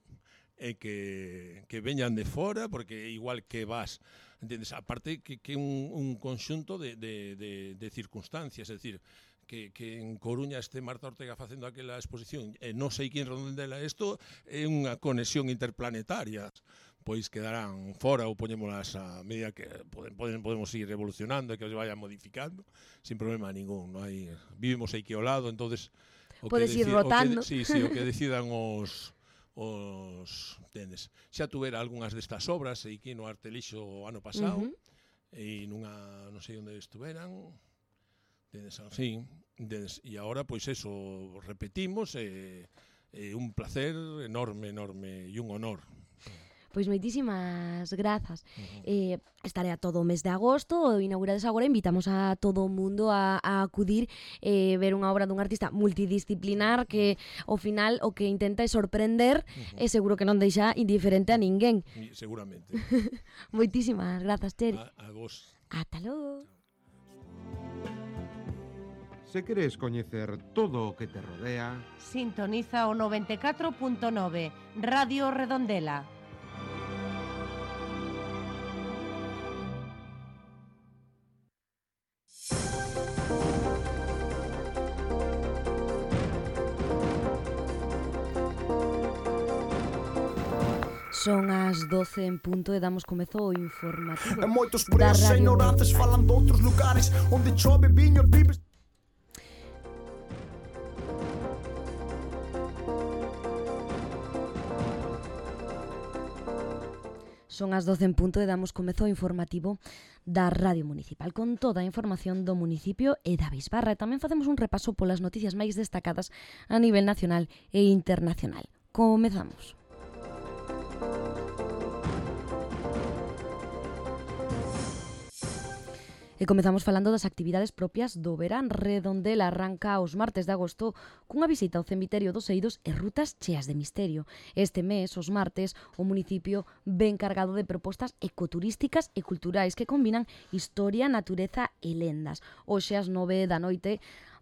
e que, que veñan de fora, porque igual que vas, entendes, aparte que, que un, un conxunto de, de, de, de circunstancias, é dicir, que, que en Coruña este Marta Ortega facendo aquela exposición, e non sei quen redondela isto, é unha conexión interplanetaria, pois quedarán fora ou poñémolas a medida que poden, podemos ir evolucionando e que se vayan modificando, sin problema ningún, non hai, vivimos aquí ao lado, entonces o podes ir rotando. O que, sí, sí, o que decidan os os tendes. Xa tuvera algunhas destas obras e aquí no Artelixo o ano pasado, uh-huh. e nunha, non sei onde estuveran, tendes así, tendes, e agora pois eso repetimos, e, e un placer enorme, enorme e un honor. Pois moitísimas grazas. Uh-huh. Eh, estaré a todo o mes de agosto, inaugurades agora, invitamos a todo o mundo a, a acudir e eh, ver unha obra dun artista multidisciplinar que, ao final, o que intenta é sorprender uh-huh. e seguro que non deixa indiferente a ninguén. Seguramente. Moitísimas grazas, Chere. A, a vos. Ata logo. Se queres coñecer todo o que te rodea, sintoniza o noventa e catro punto nove, Radio Redondela. Son as doce en punto e damos comezo ao informativo. E moitos presos e ignorantes falan doutros lugares onde chove viño e vives. Son as doce en punto e damos comezo ao informativo da Radio Municipal con toda a información do municipio e da Bisbarra. E tamén facemos un repaso polas noticias máis destacadas a nivel nacional e internacional. Comezamos. E comezamos falando das actividades propias do verán. Redondela arranca os martes de agosto cunha visita ao cemiterio dos Eidos e rutas cheas de misterio. Este mes, os martes, o municipio ven cargado de propostas ecoturísticas e culturais que combinan historia, natureza e lendas. Hoxe ás nove da noite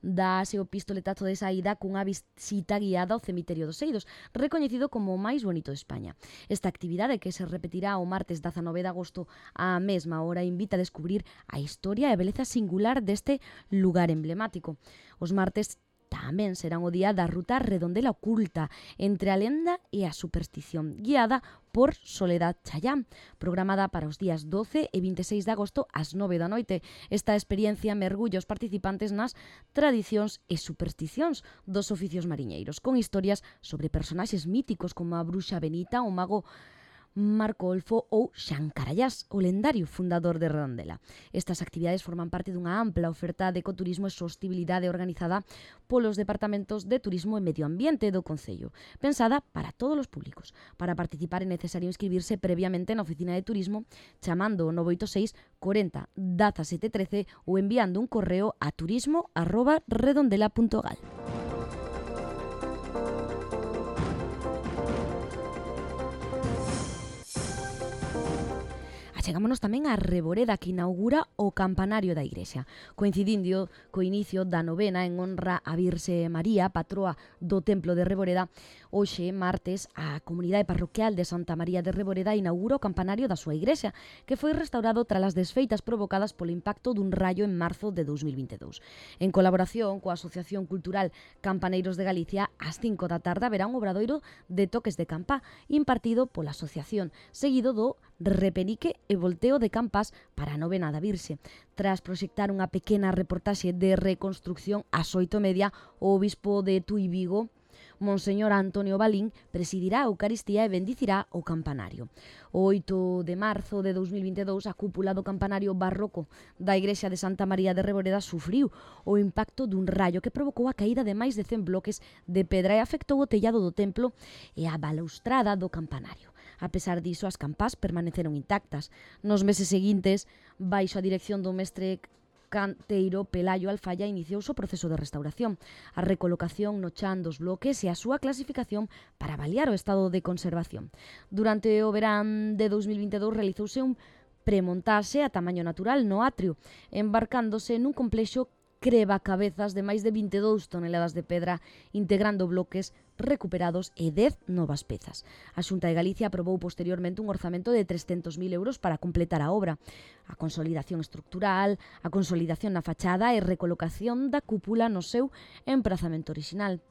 dáse o pistoletazo de saída cunha visita guiada ao cemiterio dos Eidos, recoñecido como o máis bonito de España. Esta actividade, que se repetirá o martes dezanove de agosto á mesma hora, invita a descubrir a historia e a beleza singular deste lugar emblemático. Os martes Tamén serán o día da ruta Redondela Oculta, entre a lenda e a superstición, guiada por Soledad Chayán, programada para os días doce e veintiséis de agosto ás nove da noite. Esta experiencia mergulla os participantes nas tradicións e supersticións dos oficios mariñeiros, con historias sobre personaxes míticos como a bruxa Benita, o mago Marco Olfo ou Xan Carallás, o lendario fundador de Redondela. Estas actividades forman parte dunha ampla oferta de ecoturismo e sostibilidade organizada polos departamentos de Turismo e Medio Ambiente do Concello, pensada para todos os públicos. Para participar é necesario inscribirse previamente na oficina de turismo chamando o nove oito seis cuarenta dezasete trece ou enviando un correo a turismo arroba redondela punto gal. Chegámonos tamén á Reboreda, que inaugura o campanario da igrexa. Coincidindo co inicio da novena en honra a Virxe María, patroa do Templo de Reboreda, hoxe, martes, a comunidade parroquial de Santa María de Reboreda inaugura o campanario da súa igrexa, que foi restaurado tras as desfeitas provocadas polo impacto dun raio en marzo de dous mil vinte e dous. En colaboración coa Asociación Cultural Campaneiros de Galicia, ás cinco da tarde haberá un obradoiro de toques de campá impartido pola asociación, seguido do repenique e volteo de campás para a novena da Virxe. Tras proxectar unha pequena reportaxe de reconstrucción ás oito e media, o obispo de Tui Vigo, Monseñor Antonio Balín, presidirá a Eucaristía e bendicirá o campanario. O oito de marzo de dous mil vinte e dous, a cúpula do campanario barroco da igrexa de Santa María de Reboreda sufriu o impacto dun raio que provocou a caída de máis de cen bloques de pedra e afectou o tellado do templo e a balaustrada do campanario. A pesar diso, as campás permaneceron intactas. Nos meses seguintes, baixo a dirección do mestre canteiro Pelayo Alfaya, iniciouse o proceso de restauración, a recolocación no chan dos bloques e a súa clasificación para avaliar o estado de conservación. Durante o verán de dous mil vinte e dous realizouse un premontaxe a tamaño natural no atrio, embarcándose nun complexo creba cabezas de máis de vinte e dous toneladas de pedra, integrando bloques recuperados e dez novas pezas. A Xunta de Galicia aprobou posteriormente un orzamento de trescentos mil euros para completar a obra. A consolidación estructural, a consolidación na fachada e recolocación da cúpula no seu emprazamento orixinal.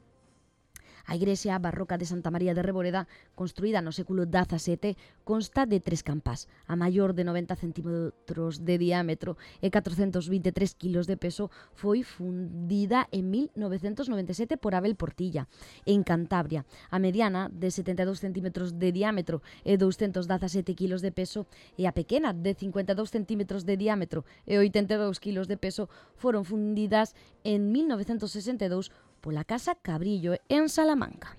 A igrexa barroca de Santa María de Reboreda, construída no século dezasete, consta de tres campás. A maior, de noventa centímetros de diámetro e catrocentos vinte e tres kilos de peso, foi fundida en mil novecentos noventa e sete por Abel Portilla, en Cantabria. A mediana, de setenta e dous centímetros de diámetro e douscentos dezasete kilos de peso, e a pequena, de cincuenta e dous centímetros de diámetro e oitenta e dous kilos de peso, foron fundidas en mil novecentos sesenta e dous pola Casa Cabrillo en Salamanca.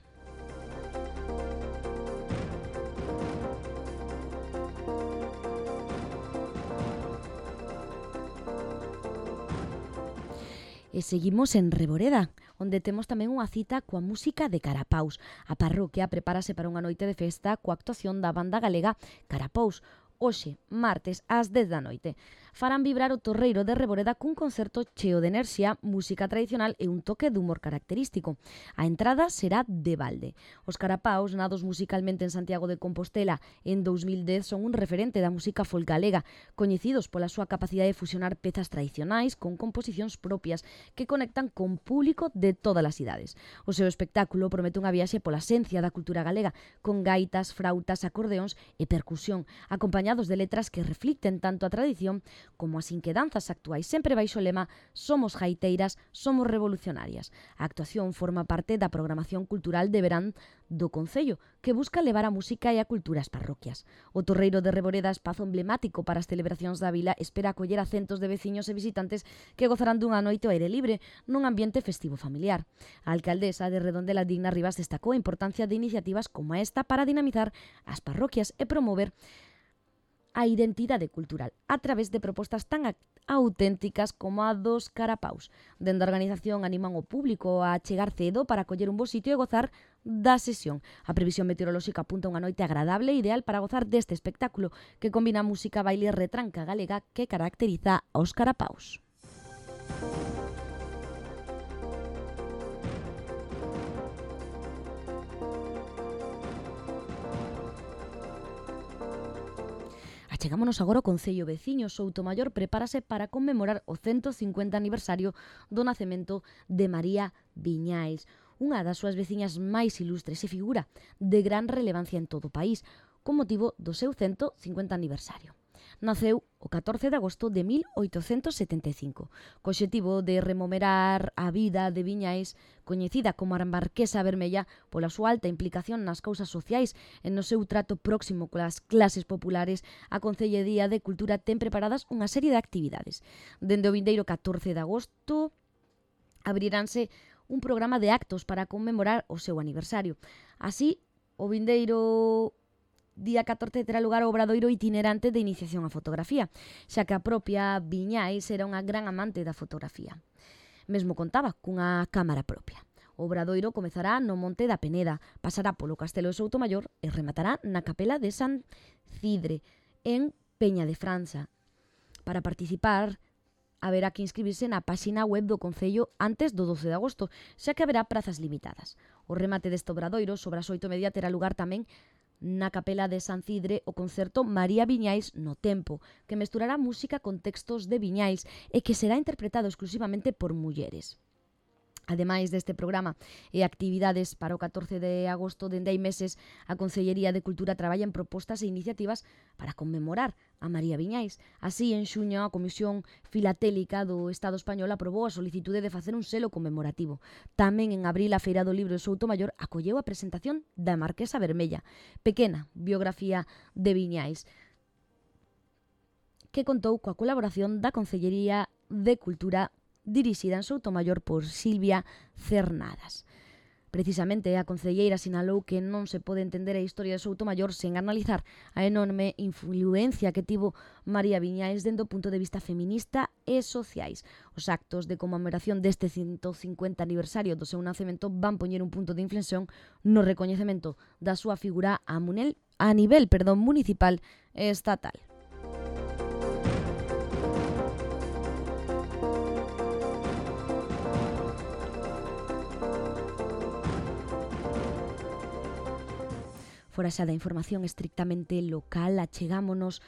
E seguimos en Reboreda, onde temos tamén unha cita coa música de Carapaus. A parroquia prepárase para unha noite de festa coa actuación da banda galega Carapaus. Hoxe, martes, ás dez da noite, farán vibrar o Torreiro de Reboreda cun concerto cheo de enerxía, música tradicional e un toque de humor característico. A entrada será de balde. Os Carapaus, nados musicalmente en Santiago de Compostela en dous mil dez, son un referente da música folk galega, coñecidos pola súa capacidade de fusionar pezas tradicionais con composicións propias que conectan con público de todas as idades. O seu espectáculo promete unha viaxe pola esencia da cultura galega, con gaitas, frautas, acordeóns e percusión, acompañados de letras que reflicten tanto a tradición como as inquedanzas actuais, sempre baixo o lema "Somos gaiteiras, somos revolucionarias". A actuación forma parte da programación cultural de verán do Concello, que busca levar a música e a cultura ás parroquias. O Torreiro de Reboreda, espazo emblemático para as celebracións da vila, espera acoller a centos de veciños e visitantes que gozarán dunha noite ao aire libre nun ambiente festivo familiar. A alcaldesa de Redondela, Digna Rivas, destacou a importancia de iniciativas como esta para dinamizar as parroquias e promover a identidade cultural a través de propostas tan auténticas como a dos Carapaus. Dende a organización animan o público a chegar cedo para coller un bo sitio e gozar da sesión. A previsión meteorolóxica apunta unha noite agradable e ideal para gozar deste espectáculo que combina música, baile e retranca galega que caracteriza aos Carapaus. achegámonos agora ao concello veciño. Soutomaior prepárase para conmemorar o ciento cincuenta aniversario do nacemento de María Viñais, unha das súas veciñas máis ilustres e figura de gran relevancia en todo o país, con motivo do seu ciento cincuenta aniversario. Naceu o catorce de agosto de mil oitocentos setenta e cinco, co obxectivo de rememorar a vida de Viñais, coñecida como a Marquesa Vermella pola súa alta implicación nas causas sociais e no seu trato próximo coas clases populares. A Concellería de Cultura ten preparadas unha serie de actividades. Dende o vindeiro catorce de agosto abriránse un programa de actos para conmemorar o seu aniversario. Así, o vindeiro día catorce terá lugar o obradoiro itinerante de iniciación á fotografía, xa que a propia Viñais era unha gran amante da fotografía. Mesmo contaba cunha cámara propia. O obradoiro comezará no Monte da Peneda, pasará polo Castelo de Soutomaior e rematará na Capela de San Cidre, en Peña de Franza. Para participar, haberá que inscribirse na páxina web do Concello antes do doce de agosto, xa que haberá prazas limitadas. O remate deste obradoiro, sobre as oito e media, terá lugar tamén na Capela de San Cidre o concerto María Viñais no Tempo, que mesturará música con textos de Viñais e que será interpretado exclusivamente por mulleres. Ademais deste programa e actividades para o catorce de agosto, dende hai meses, a Concellería de Cultura traballa en propostas e iniciativas para conmemorar a María Viñais. Así, en xuño, a Comisión Filatélica do Estado Español aprobou a solicitude de facer un selo conmemorativo. Tamén en abril, a Feira do Libro de Soutomaior acolleu a presentación da Marquesa Vermella, pequena biografía de Viñais, que contou coa colaboración da Concellería de Cultura dirixida en Soutomaior por Silvia Cernadas. Precisamente, a concelleira sinalou que non se pode entender a historia de Soutomaior sen analizar a enorme influencia que tivo María Viñais dende o punto de vista feminista e sociais. Os actos de conmemoración deste ciento cincuenta aniversario do seu nacemento van poñer un punto de inflexión no recoñecemento da súa figura a, munel, a nivel perdón, municipal e estatal. Fora xa da información estrictamente local, achegámonos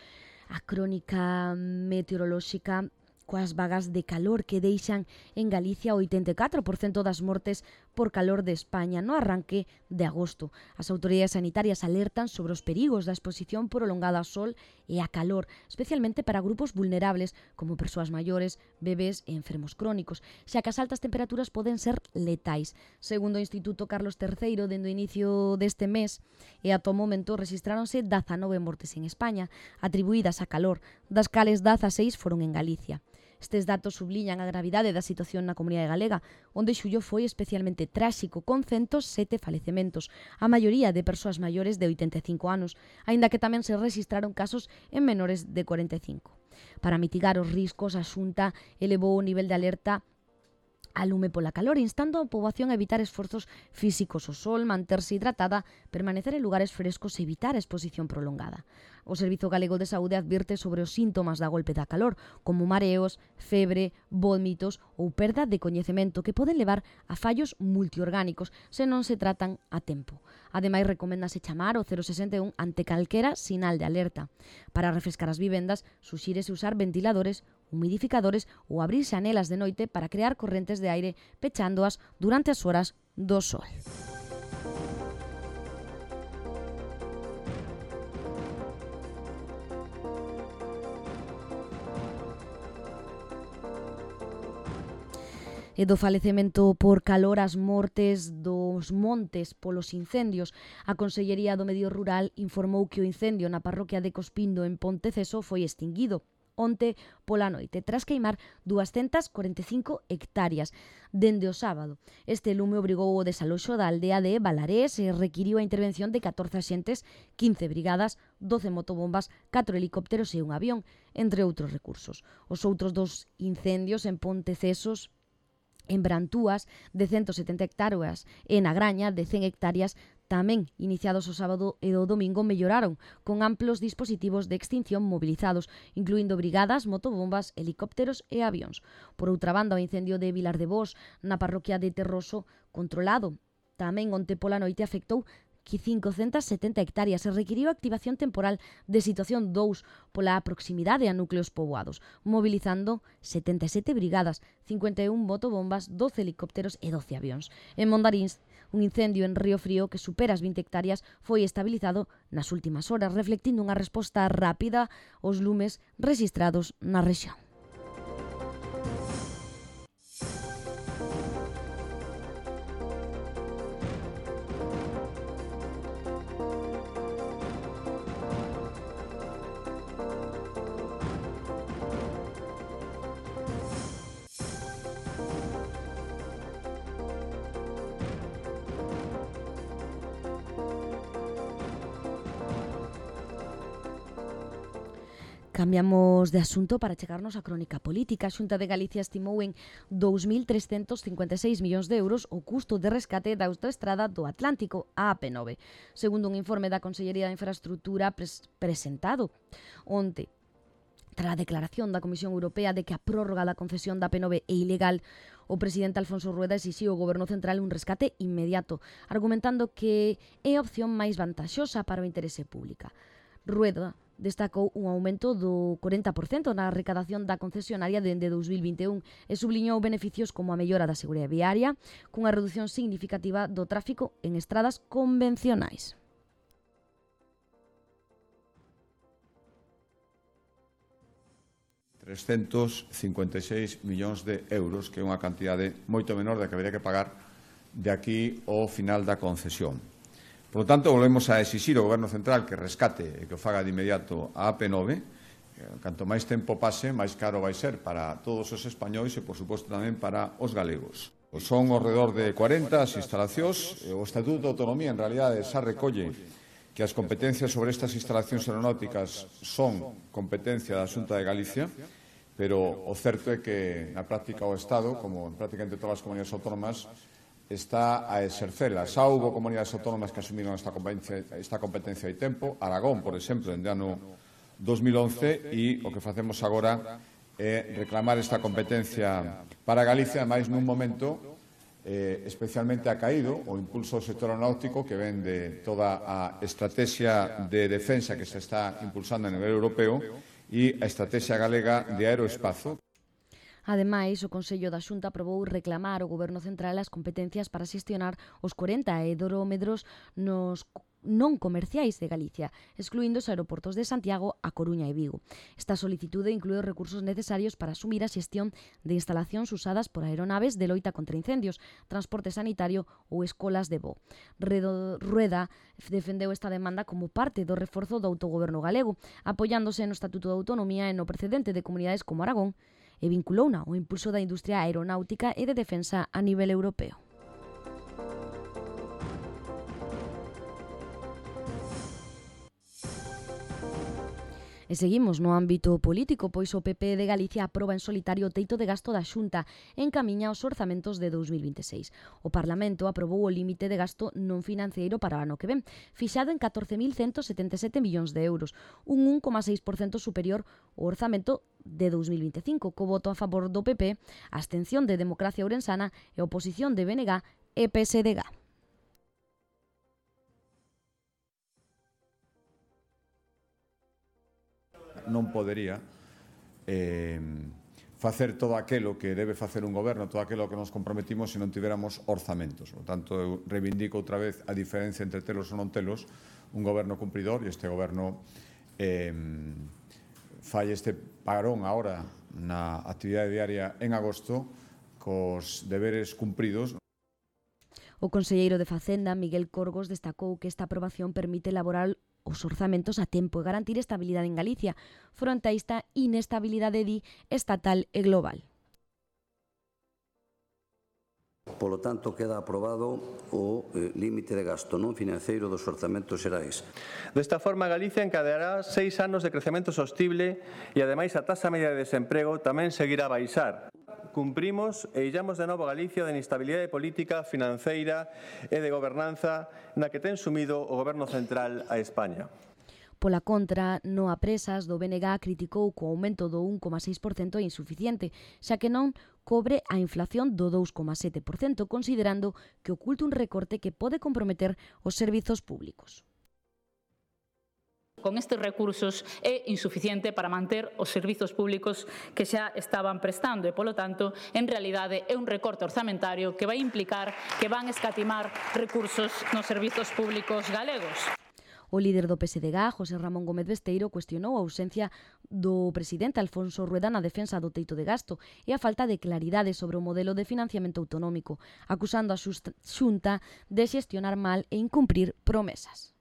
a crónica meteorolóxica coas vagas de calor que deixan en Galicia o oitenta e catro por cento das mortes por calor de España no arranque de agosto. As autoridades sanitarias alertan sobre os perigos da exposición prolongada ao sol e a calor, especialmente para grupos vulnerables como persoas maiores, bebés e enfermos crónicos, xa que as altas temperaturas poden ser letais. Segundo o Instituto Carlos terceiro, dende o inicio deste mes e ata o momento rexistráronse dezanove mortes en España, atribuídas a calor, das cales dezaseis foron en Galicia. Estes datos subliñan a gravidade da situación na comunidade galega, onde xullo foi especialmente tráxico, con ciento sete falecementos, a maioría de persoas maiores de oitenta e cinco anos, aínda que tamén se rexistraron casos en menores de cuarenta e cinco. Para mitigar os riscos, a Xunta elevou o nivel de alerta a lume pola calor, instando a poboación a evitar esforzos físicos ao sol, manterse hidratada, permanecer en lugares frescos e evitar a exposición prolongada. O Servizo Galego de Saúde advirte sobre os síntomas da golpe da calor, como mareos, febre, vómitos ou perda de coñecemento que poden levar a fallos multiorgánicos se non se tratan a tempo. Ademais, recoméndase chamar o cero sesenta e un ante calquera sinal de alerta. Para refrescar as vivendas, suxírese usar ventiladores, humidificadores ou abrir xanelas de noite para crear correntes de aire pechándoas durante as horas do sol. E do falecemento por calor as mortes dos montes polos incendios. A Consellería do Medio Rural informou que o incendio na parroquia de Cospindo en Ponteceso foi extinguido onte pola noite, tras queimar duascentas corenta e cinco hectáreas dende o sábado. Este lume obrigou o desaloxo da aldea de Balarés e requiriu a intervención de catorce axentes, quince brigadas, doce motobombas, catro helicópteros e un avión, entre outros recursos. Os outros dos incendios en Pontecesos, en Brantúas, de ciento setenta hectáreas, e na Graña, de cen hectáreas, tamén iniciados o sábado e o domingo, melloraron, con amplos dispositivos de extinción mobilizados, incluindo brigadas, motobombas, helicópteros e avións. Por outra banda, o incendio de Vilar de Bos, na parroquia de Terroso, controlado tamén onte pola noite, afectou que cincocentas setenta hectáreas e requiriu a activación temporal de situación dous pola proximidade a núcleos poboados, mobilizando setenta e sete brigadas, cincuenta e un motobombas, doce helicópteros e doce avións. En Mondarins, un incendio en Río Frío que supera as vinte hectáreas foi estabilizado nas últimas horas, reflectindo unha resposta rápida aos lumes rexistrados na rexión. Cambiamos de asunto para chegarnos á crónica política. A Xunta de Galicia estimou en dous mil trescentos cincuenta e seis millóns de euros o custo de rescate da autoestrada do Atlántico, a A P nove. Segundo un informe da Consellería de Infraestructura pres presentado onte, tras a declaración da Comisión Europea de que a prórroga da concesión da A P nove é ilegal, o presidente Alfonso Rueda exixiu ao Goberno Central un rescate inmediato, argumentando que é a opción máis vantaxosa para o interese público. Rueda destacou un aumento do corenta por cento na recadación da concesionaria dende dous mil vinte e un e subliñou beneficios como a mellora da seguridade viaria cunha reducción significativa do tráfico en estradas convencionais. trescentos cincuenta e seis millóns de euros, que é unha cantidade moito menor da que habería que pagar de aquí ao final da concesión. Por lo tanto, volvemos a exixir ao Goberno Central que rescate e que o faga de inmediato a A P nove. Canto máis tempo pase, máis caro vai ser para todos os españois e, por suposto, tamén para os galegos. Son ao redor de cuarenta as instalacións. O Estatuto de Autonomía, en realidade, xa recolle que as competencias sobre estas instalacións aeronáuticas son competencia da Xunta de Galicia, pero o certo é que, na práctica, o Estado, como en prácticamente todas as comunidades autónomas, está a exercela. Xa houve comunidades autónomas que asumiron esta competencia, esta competencia hai tempo. Aragón, por exemplo, en ano dos mil once, e o que facemos agora é reclamar esta competencia para Galicia, máis nun momento eh, especialmente acaído o impulso ao sector aeronáutico que ven de toda a estrategia de defensa que se está impulsando a nivel europeo e a estrategia galega de aeroespazo. Ademais, o Consello da Xunta aprobou reclamar ao Goberno Central as competencias para xestionar os corenta aerómetros nos non comerciais de Galicia, excluindo os aeroportos de Santiago, A Coruña e Vigo. Esta solicitude inclúe os recursos necesarios para asumir a xestión de instalacións usadas por aeronaves de loita contra incendios, transporte sanitario ou escolas de voo. Rueda defendeu esta demanda como parte do reforzo do autogoberno galego, apoiándose no Estatuto de Autonomía e no precedente de comunidades como Aragón, e vinculouna ao impulso da industria aeronáutica e de defensa a nivel europeo. E seguimos no ámbito político, pois o P P de Galicia aproba en solitario o teito de gasto da Xunta e encamiña os orzamentos de dous mil vinte e seis. O Parlamento aprobou o límite de gasto non financiero para o ano que ven, fixado en catorce mil ciento setenta e sete millóns de euros, un un coma seis por cento superior ao orzamento de dous mil vinte e cinco, co voto a favor do P P, a abstención de Democracia Ourensana e a oposición de B N G e P S D G. Non podería eh, facer todo aquilo que debe facer un goberno, todo aquilo que nos comprometimos se non tiveramos orzamentos. Por tanto, eu reivindico outra vez a diferencia entre telos ou non telos, un goberno cumpridor, e este goberno eh, fai este parón agora na actividade diaria en agosto cos deberes cumpridos. O conselleiro de Facenda, Miguel Corgos, destacou que esta aprobación permite elaborar os orzamentos a tempo e garantir estabilidade en Galicia, fronte a esta inestabilidade di estatal e global. Polo tanto, queda aprobado o eh, límite de gasto non financeiro dos orzamentos xerais. Desta forma, Galicia encadeará seis anos de crecemento sostible e, ademais, a taxa media de desemprego tamén seguirá a baixar. Cumprimos e illamos de novo a Galicia da inestabilidade política, financeira e de gobernanza na que ten sumido o Goberno Central a España. Pola contra, no Apresas do B N G criticou que o aumento do un coma seis por cento é insuficiente, xa que non cobre a inflación do dous coma sete por cento, considerando que oculta un recorte que pode comprometer os servizos públicos. Con estes recursos é insuficiente para manter os servizos públicos que xa estaban prestando e, polo tanto, en realidade é un recorte orzamentario que vai implicar que van escatimar recursos nos servizos públicos galegos. O líder do P S D G, José Ramón Gómez Besteiro, cuestionou a ausencia do presidente Alfonso Rueda na defensa do teito de gasto e a falta de claridade sobre o modelo de financiamento autonómico, acusando a Xunta de xestionar mal e incumprir promesas.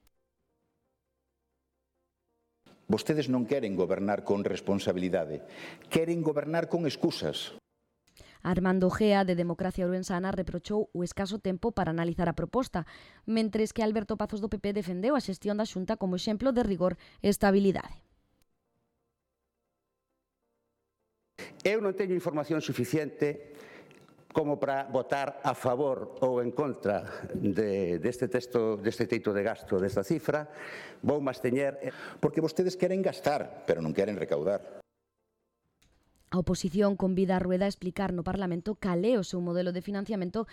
Vostedes non queren gobernar con responsabilidade, queren gobernar con excusas. Armando Gea, de Democracia Ourensana, reprochou o escaso tempo para analizar a proposta, mentres que Alberto Pazos do P P defendeu a xestión da Xunta como exemplo de rigor e estabilidade. Eu non teño información suficiente como para votar a favor ou en contra de, deste texto, deste teito de gasto, desta cifra. Vou máis teñer, porque vostedes queren gastar, pero non queren recaudar. A oposición convida a Rueda a explicar no Parlamento cal é o seu modelo de financiamento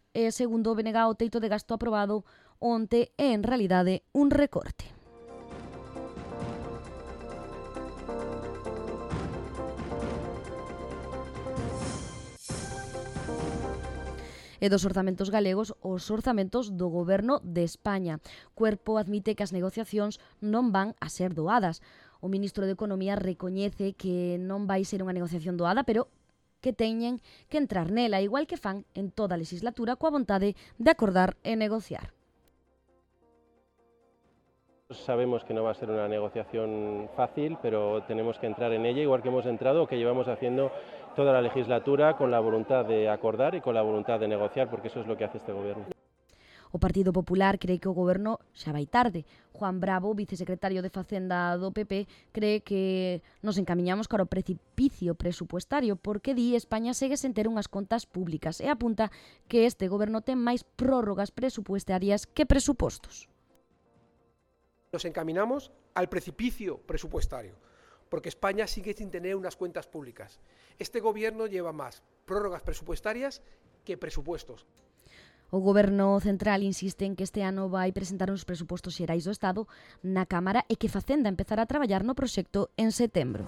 e, segundo o B N G, o teito de gasto aprobado onte é, en realidade, un recorte. E dos orzamentos galegos, os orzamentos do Goberno de España. Cuerpo admite que as negociacións non van a ser doadas. O ministro de Economía recoñece que non vai ser unha negociación doada, pero que teñen que entrar nela, igual que fan en toda a legislatura, coa vontade de acordar e negociar. Sabemos que no va a ser una negociación fácil, pero tenemos que entrar en ella, igual que hemos entrado o que llevamos haciendo toda la legislatura, con la voluntad de acordar y con la voluntad de negociar, porque eso es lo que hace este gobierno. O Partido Popular cree que o goberno xa vai tarde. Juan Bravo, vicesecretario de Facenda do P P, cree que nos encamiñamos cara ao precipicio presupuestario porque di España segue sen ter unhas contas públicas e apunta que este goberno ten máis prórrogas presupuestarias que presupostos. Nos encaminamos al precipicio presupuestario porque España sigue sin tener unas cuentas públicas. Este gobierno lleva más prórrogas presupuestarias que presupuestos. O Goberno Central insiste en que este ano vai presentar os presupostos xerais do Estado na Cámara e que Facenda empezará a traballar no proxecto en setembro.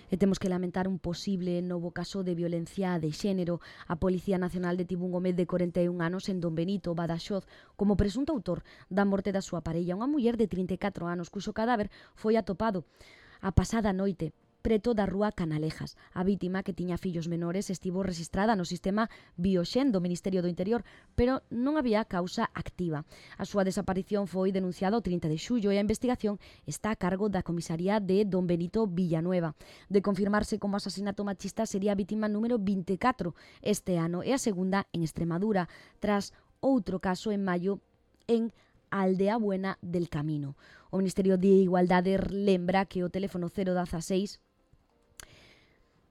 E temos que lamentar un posible novo caso de violencia de xénero. A Policía Nacional detivo un home de corenta e un anos en Don Benito, Badaxoz, como presunto autor da morte da súa parella, unha muller de trinta e catro anos, cuxo cadáver foi atopado a pasada noite preto da rúa Canalejas. A vítima, que tiña fillos menores, estivo rexistrada no sistema Bioxen do Ministerio do Interior, pero non había causa activa. A súa desaparición foi denunciada o trinta de xullo e a investigación está a cargo da comisaría de Don Benito Villanueva. De confirmarse como asasinato machista, sería a vítima número vinte e catro este ano e a segunda en Extremadura, tras outro caso en maio en Aldea Buena del Camino. O Ministerio de Igualdade lembra que o teléfono cero dieciséis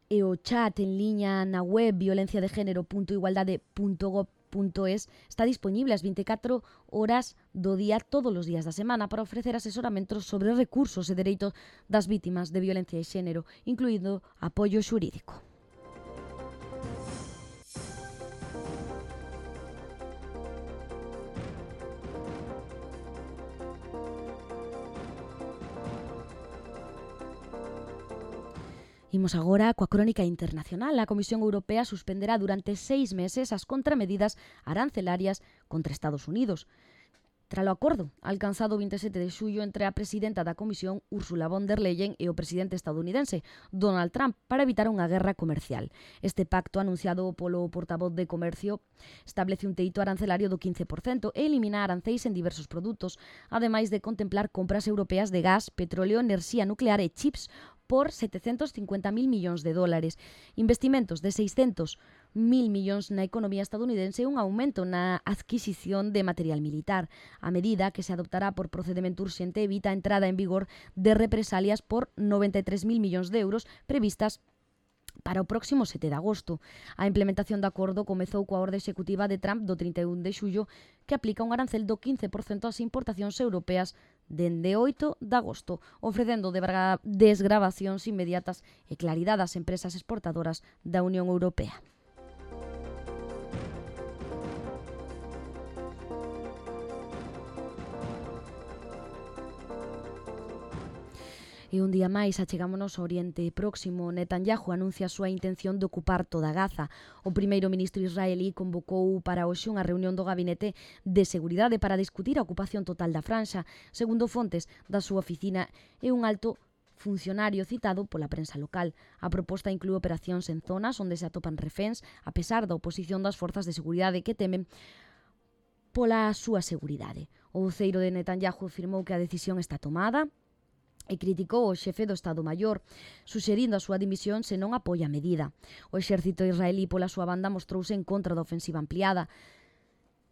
e o chat en liña na web violencia de género punto igualdade punto gov punto es está disponible ás vinte e catro horas do día todos os días da semana para ofrecer asesoramentos sobre recursos e dereitos das vítimas de violencia de género, incluído apoio xurídico. Imos agora coa crónica internacional. A Comisión Europea suspenderá durante seis meses as contramedidas arancelarias contra Estados Unidos. Tralo acordo alcanzado o vinte e sete de xullo entre a presidenta da Comisión, Ursula von der Leyen, e o presidente estadounidense, Donald Trump, para evitar unha guerra comercial. Este pacto, anunciado polo portavoz de Comercio, establece un teito arancelario do quince por cento e elimina aranceis en diversos produtos, ademais de contemplar compras europeas de gas, petróleo, enerxía nuclear e chips por setecentos cincuenta mil millóns de dólares, investimentos de seiscentos mil millóns na economía estadounidense e un aumento na adquisición de material militar. A medida, que se adoptará por procedimento urxente, evita a entrada en vigor de represalias por noventa e tres mil millóns de euros previstas para o próximo sete de agosto. A implementación do acordo comezou coa orde executiva de Trump do trinta e un de xullo que aplica un arancel do quince por cento ás importacións europeas dende oito de agosto, ofrecendo desgravacións inmediatas e claridade ás empresas exportadoras da Unión Europea. E un día máis achegámonos ao Oriente Próximo. Netanyahu anuncia a súa intención de ocupar toda Gaza. O primeiro ministro israelí convocou para hoxe unha reunión do Gabinete de Seguridade para discutir a ocupación total da franxa. Segundo fontes da súa oficina e un alto funcionario citado pola prensa local. A proposta inclúe operacións en zonas onde se atopan reféns, a pesar da oposición das forzas de seguridade que temen pola súa seguridade. O voceiro de Netanyahu afirmou que a decisión está tomada e criticou o xefe do Estado Maior, suxerindo a súa dimisión se non apoia a medida. O exército israelí pola súa banda mostrouse en contra da ofensiva ampliada,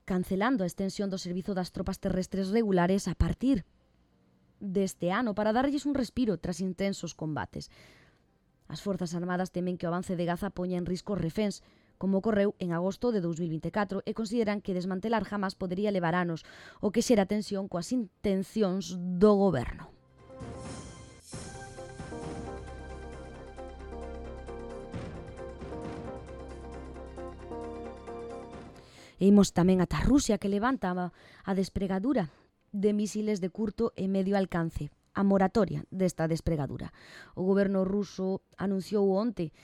cancelando a extensión do servizo das tropas terrestres regulares a partir deste ano para darlles un respiro tras intensos combates. As Forzas Armadas temen que o avance de Gaza poña en risco reféns, como ocorreu en agosto de dous mil vinte e catro, e consideran que desmantelar Hamas podería levar anos, o que xera tensión coas intencións do goberno. E imos tamén ata Rusia, que levanta a despregadura de misiles de curto e medio alcance, a moratoria desta despregadura. O goberno ruso anunciou onte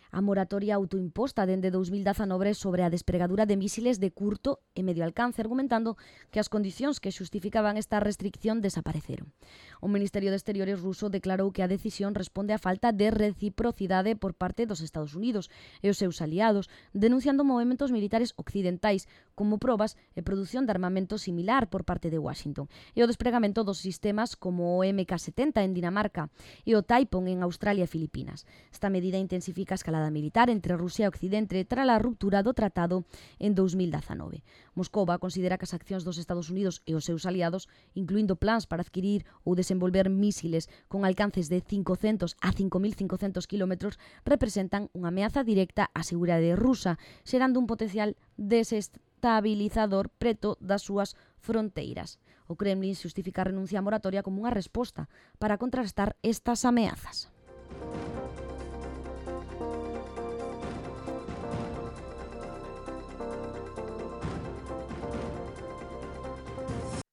a moratoria autoimposta dende dous mil dezanove sobre a despregadura de misiles de curto e medio alcance, argumentando que as condicións que xustificaban esta restricción desapareceron. O Ministerio de Exteriores ruso declarou que a decisión responde á falta de reciprocidade por parte dos Estados Unidos e os seus aliados, denunciando movementos militares occidentais como probas e produción de armamento similar por parte de Washington, e o despregamento dos sistemas como o eme ka setenta en Dinamarca e o Taipon en Australia e Filipinas. Esta medida intensifica a escalada militar entre Rusia e Occidente tras a ruptura do tratado en dous mil dezanove. Moscova considera que as accións dos Estados Unidos e os seus aliados, incluindo plans para adquirir ou desenvolver mísiles con alcances de cincocentos a cinco mil cincocentos kilómetros, representan unha ameaza directa á seguridade rusa, xerando un potencial desestabilizador preto das súas fronteiras. O Kremlin xustifica a renuncia á moratoria como unha resposta para contrastar estas ameazas.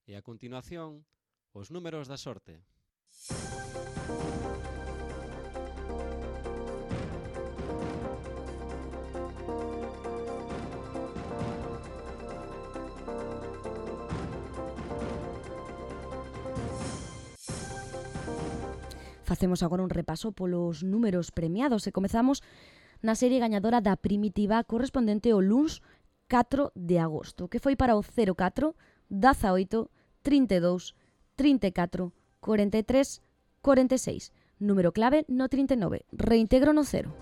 E a continuación, os números da sorte. Facemos agora un repaso polos números premiados e comezamos na serie gañadora da primitiva correspondente ao luns catro de agosto, que foi para o cero catro, dezaoito, trinta e dous, trinta e catro, cuarenta e tres, cuarenta e seis. Número clave no trinta e nove. Reintegro no cero.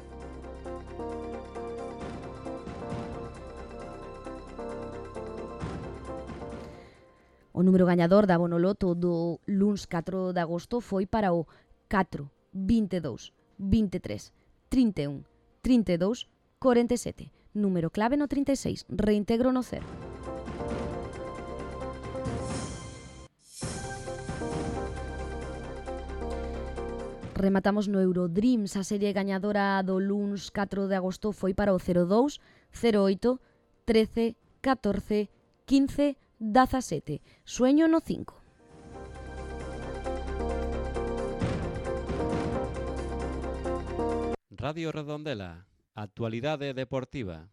O número gañador da Bonoloto do luns catro de agosto foi para o catro, vinte e dous, vinte e tres, trinta e un, trinta e dous, cuarenta e sete. Número clave no trinta e seis. Reintegro no cero. Rematamos no Eurodreams. A serie gañadora do luns catro de agosto foi para o cero dous, cero oito, trece, catorce, quince, dezasete. Sueño no cinco. Radio Redondela. Actualidade deportiva.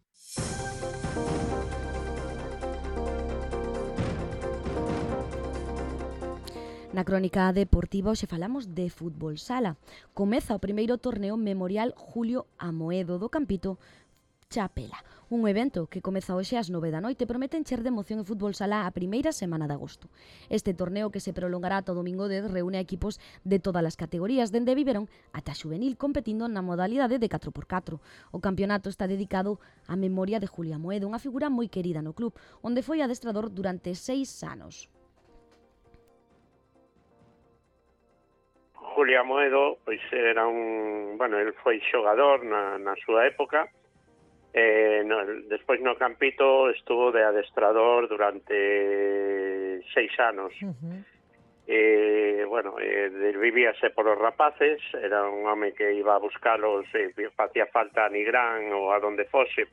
Na crónica deportiva hoxe falamos de fútbol sala. Comeza o primeiro torneo memorial Julio Amoedo do Campito Chapela. Un evento que comeza hoxe ás nove da noite promete encher de emoción e fútbol sala a primeira semana de agosto. Este torneo, que se prolongará ata o domingo dez, reúne a equipos de todas as categorías, dende Viverón ata Xuvenil, competindo na modalidade de catro por catro. O campeonato está dedicado á memoria de Julio Amoedo, unha figura moi querida no club, onde foi adestrador durante seis anos. Julio Amoedo, pois era un, bueno, el foi xogador na, na súa época. Eh, no, despois no Campito estuvo de adestrador durante seis anos. Uh-huh. Eh, bueno, eh, vivíase por os rapaces, era un home que iba a buscalos, eh, facía falta a Nigrán ou a donde fose.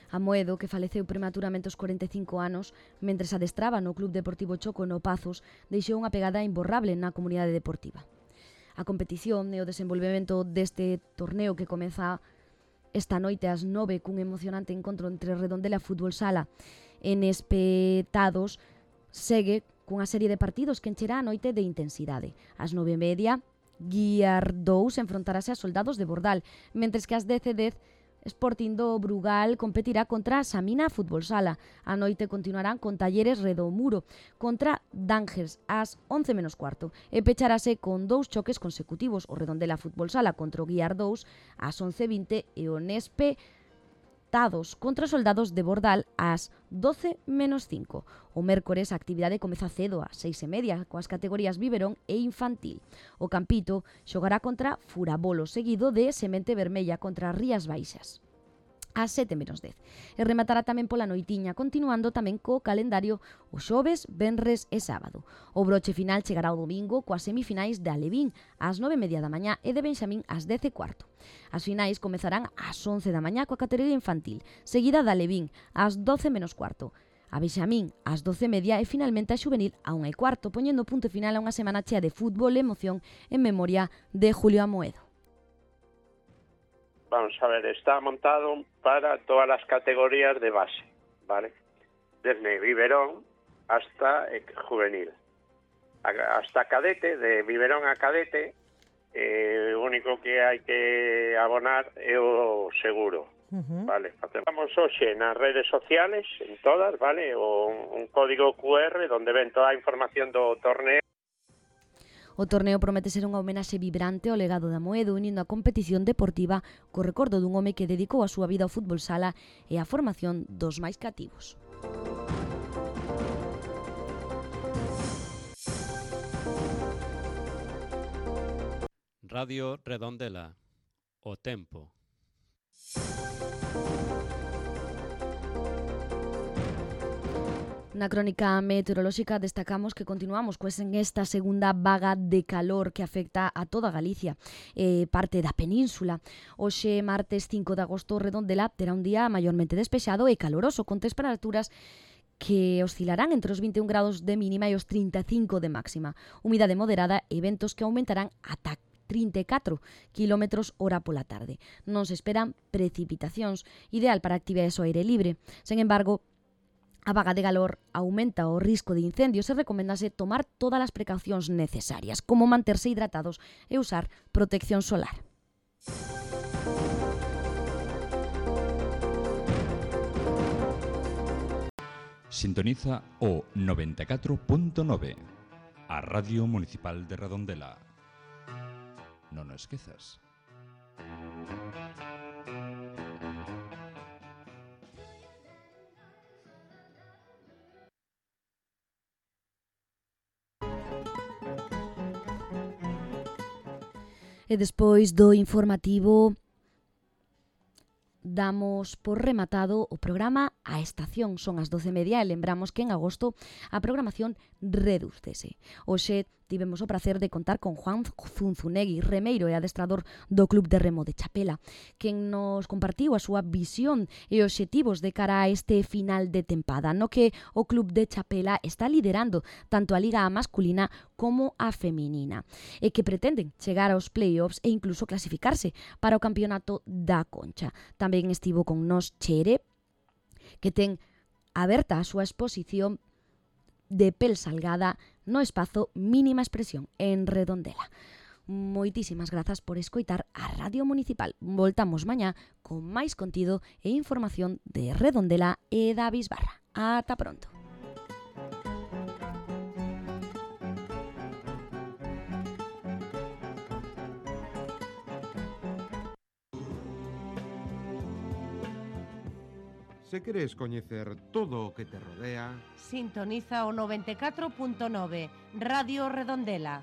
Amoedo, que faleceu prematuramente aos cuarenta e cinco anos, mentres adestraba no Club Deportivo Choco no Pazos, deixou unha pegada imborrable na comunidade deportiva. A competición e o desenvolvemento deste torneo que comeza esta noite ás nove cun emocionante encontro entre Redondela e Fútbol Sala en espetados segue cunha serie de partidos que encherá a noite de intensidade. Ás nove e media, Guiardous enfrontarase a Soldados de Bordal, mentres que ás dez e dez Sporting do Brugal competirá contra Samina Fútbol Sala. A noite continuarán con Talleres Redomuro contra Dángers ás once menos cuarto e pecharase con dous choques consecutivos, o Redondela Fútbol Sala contra o Guiardous ás once e vinte e o Nespe Tados contra Soldados de Bordal ás doce menos cinco. O mércores a actividade comeza cedo ás seis e media coas categorías biberón e infantil. O Campito xogará contra Furabolo, seguido de Semente Vermella contra Rías Baixas ás sete menos dez. E rematará tamén pola noitiña, continuando tamén co calendario o xoves, venres e sábado. O broche final chegará o domingo coas semifinais de Alevín ás nove e media da mañá e de Benxamín ás dez e cuarto. As finais comezarán ás once da mañá coa categoría infantil, seguida da Alevín ás doce menos cuarto. A Benxamín ás doce e media e finalmente a xuvenil a unha e cuarto, poñendo punto final a unha semana chea de fútbol e emoción en memoria de Julio Amoedo. Vamos a ver, está montado para todas las categorías de base, ¿vale? Desde biberón hasta eh, juvenil. Hasta cadete, de biberón a cadete, eh, o único que hai que abonar é o seguro, uh-huh. Vale? Vamos hoxe nas redes sociales, en todas, vale? O, un código cu erre donde ven toda a información do torneo. O torneo promete ser unha homenaxe vibrante ao legado de Amoedo, unindo a competición deportiva co recordo dun home que dedicou a súa vida ao fútbol sala e á formación dos máis cativos. Radio Redondela. O tempo. Na crónica meteorolóxica destacamos que continuamos pues, en esta segunda vaga de calor que afecta a toda Galicia, eh, parte da península. Hoxe, martes cinco de agosto, Redondela terá un día maiormente despexado e caloroso, con temperaturas que oscilarán entre os vinte e un grados de mínima e os trinta e cinco de máxima. Humidade moderada e ventos que aumentarán ata trinta e catro kilómetros hora pola tarde. Non se esperan precipitacións, ideal para actividades ao aire libre. Sen embargo, a vaga de calor aumenta o risco de incendios e recomendase tomar todas as precaucións necesarias, como manterse hidratados e usar protección solar. Sintoniza o noventa e catro punto nove, a Radio Municipal de Redondela. Non o esquezas. E despois do informativo damos por rematado o programa A Estación. Son as doce e media e lembramos que en agosto a programación redúcese. Hoxe tivemos o prazer de contar con Juan Zunzunegui, remeiro e adestrador do Club de Remo de Chapela, quen nos compartiu a súa visión e obxectivos de cara a este final de tempada, no que o Club de Chapela está liderando tanto a liga masculina como a feminina, e que pretenden chegar aos play-offs e incluso clasificarse para o campeonato da Concha. Tamén estivo con nos Chere, que ten aberta a súa exposición de pel salgada no espazo Mínima Expresión en Redondela. Moitísimas grazas por escoitar a Radio Municipal. Voltamos mañá con máis contido e información de Redondela e da Bisbarra. Ata pronto. Se queres coñecer todo o que te rodea, sintoniza o noventa e catro punto nove Radio Redondela.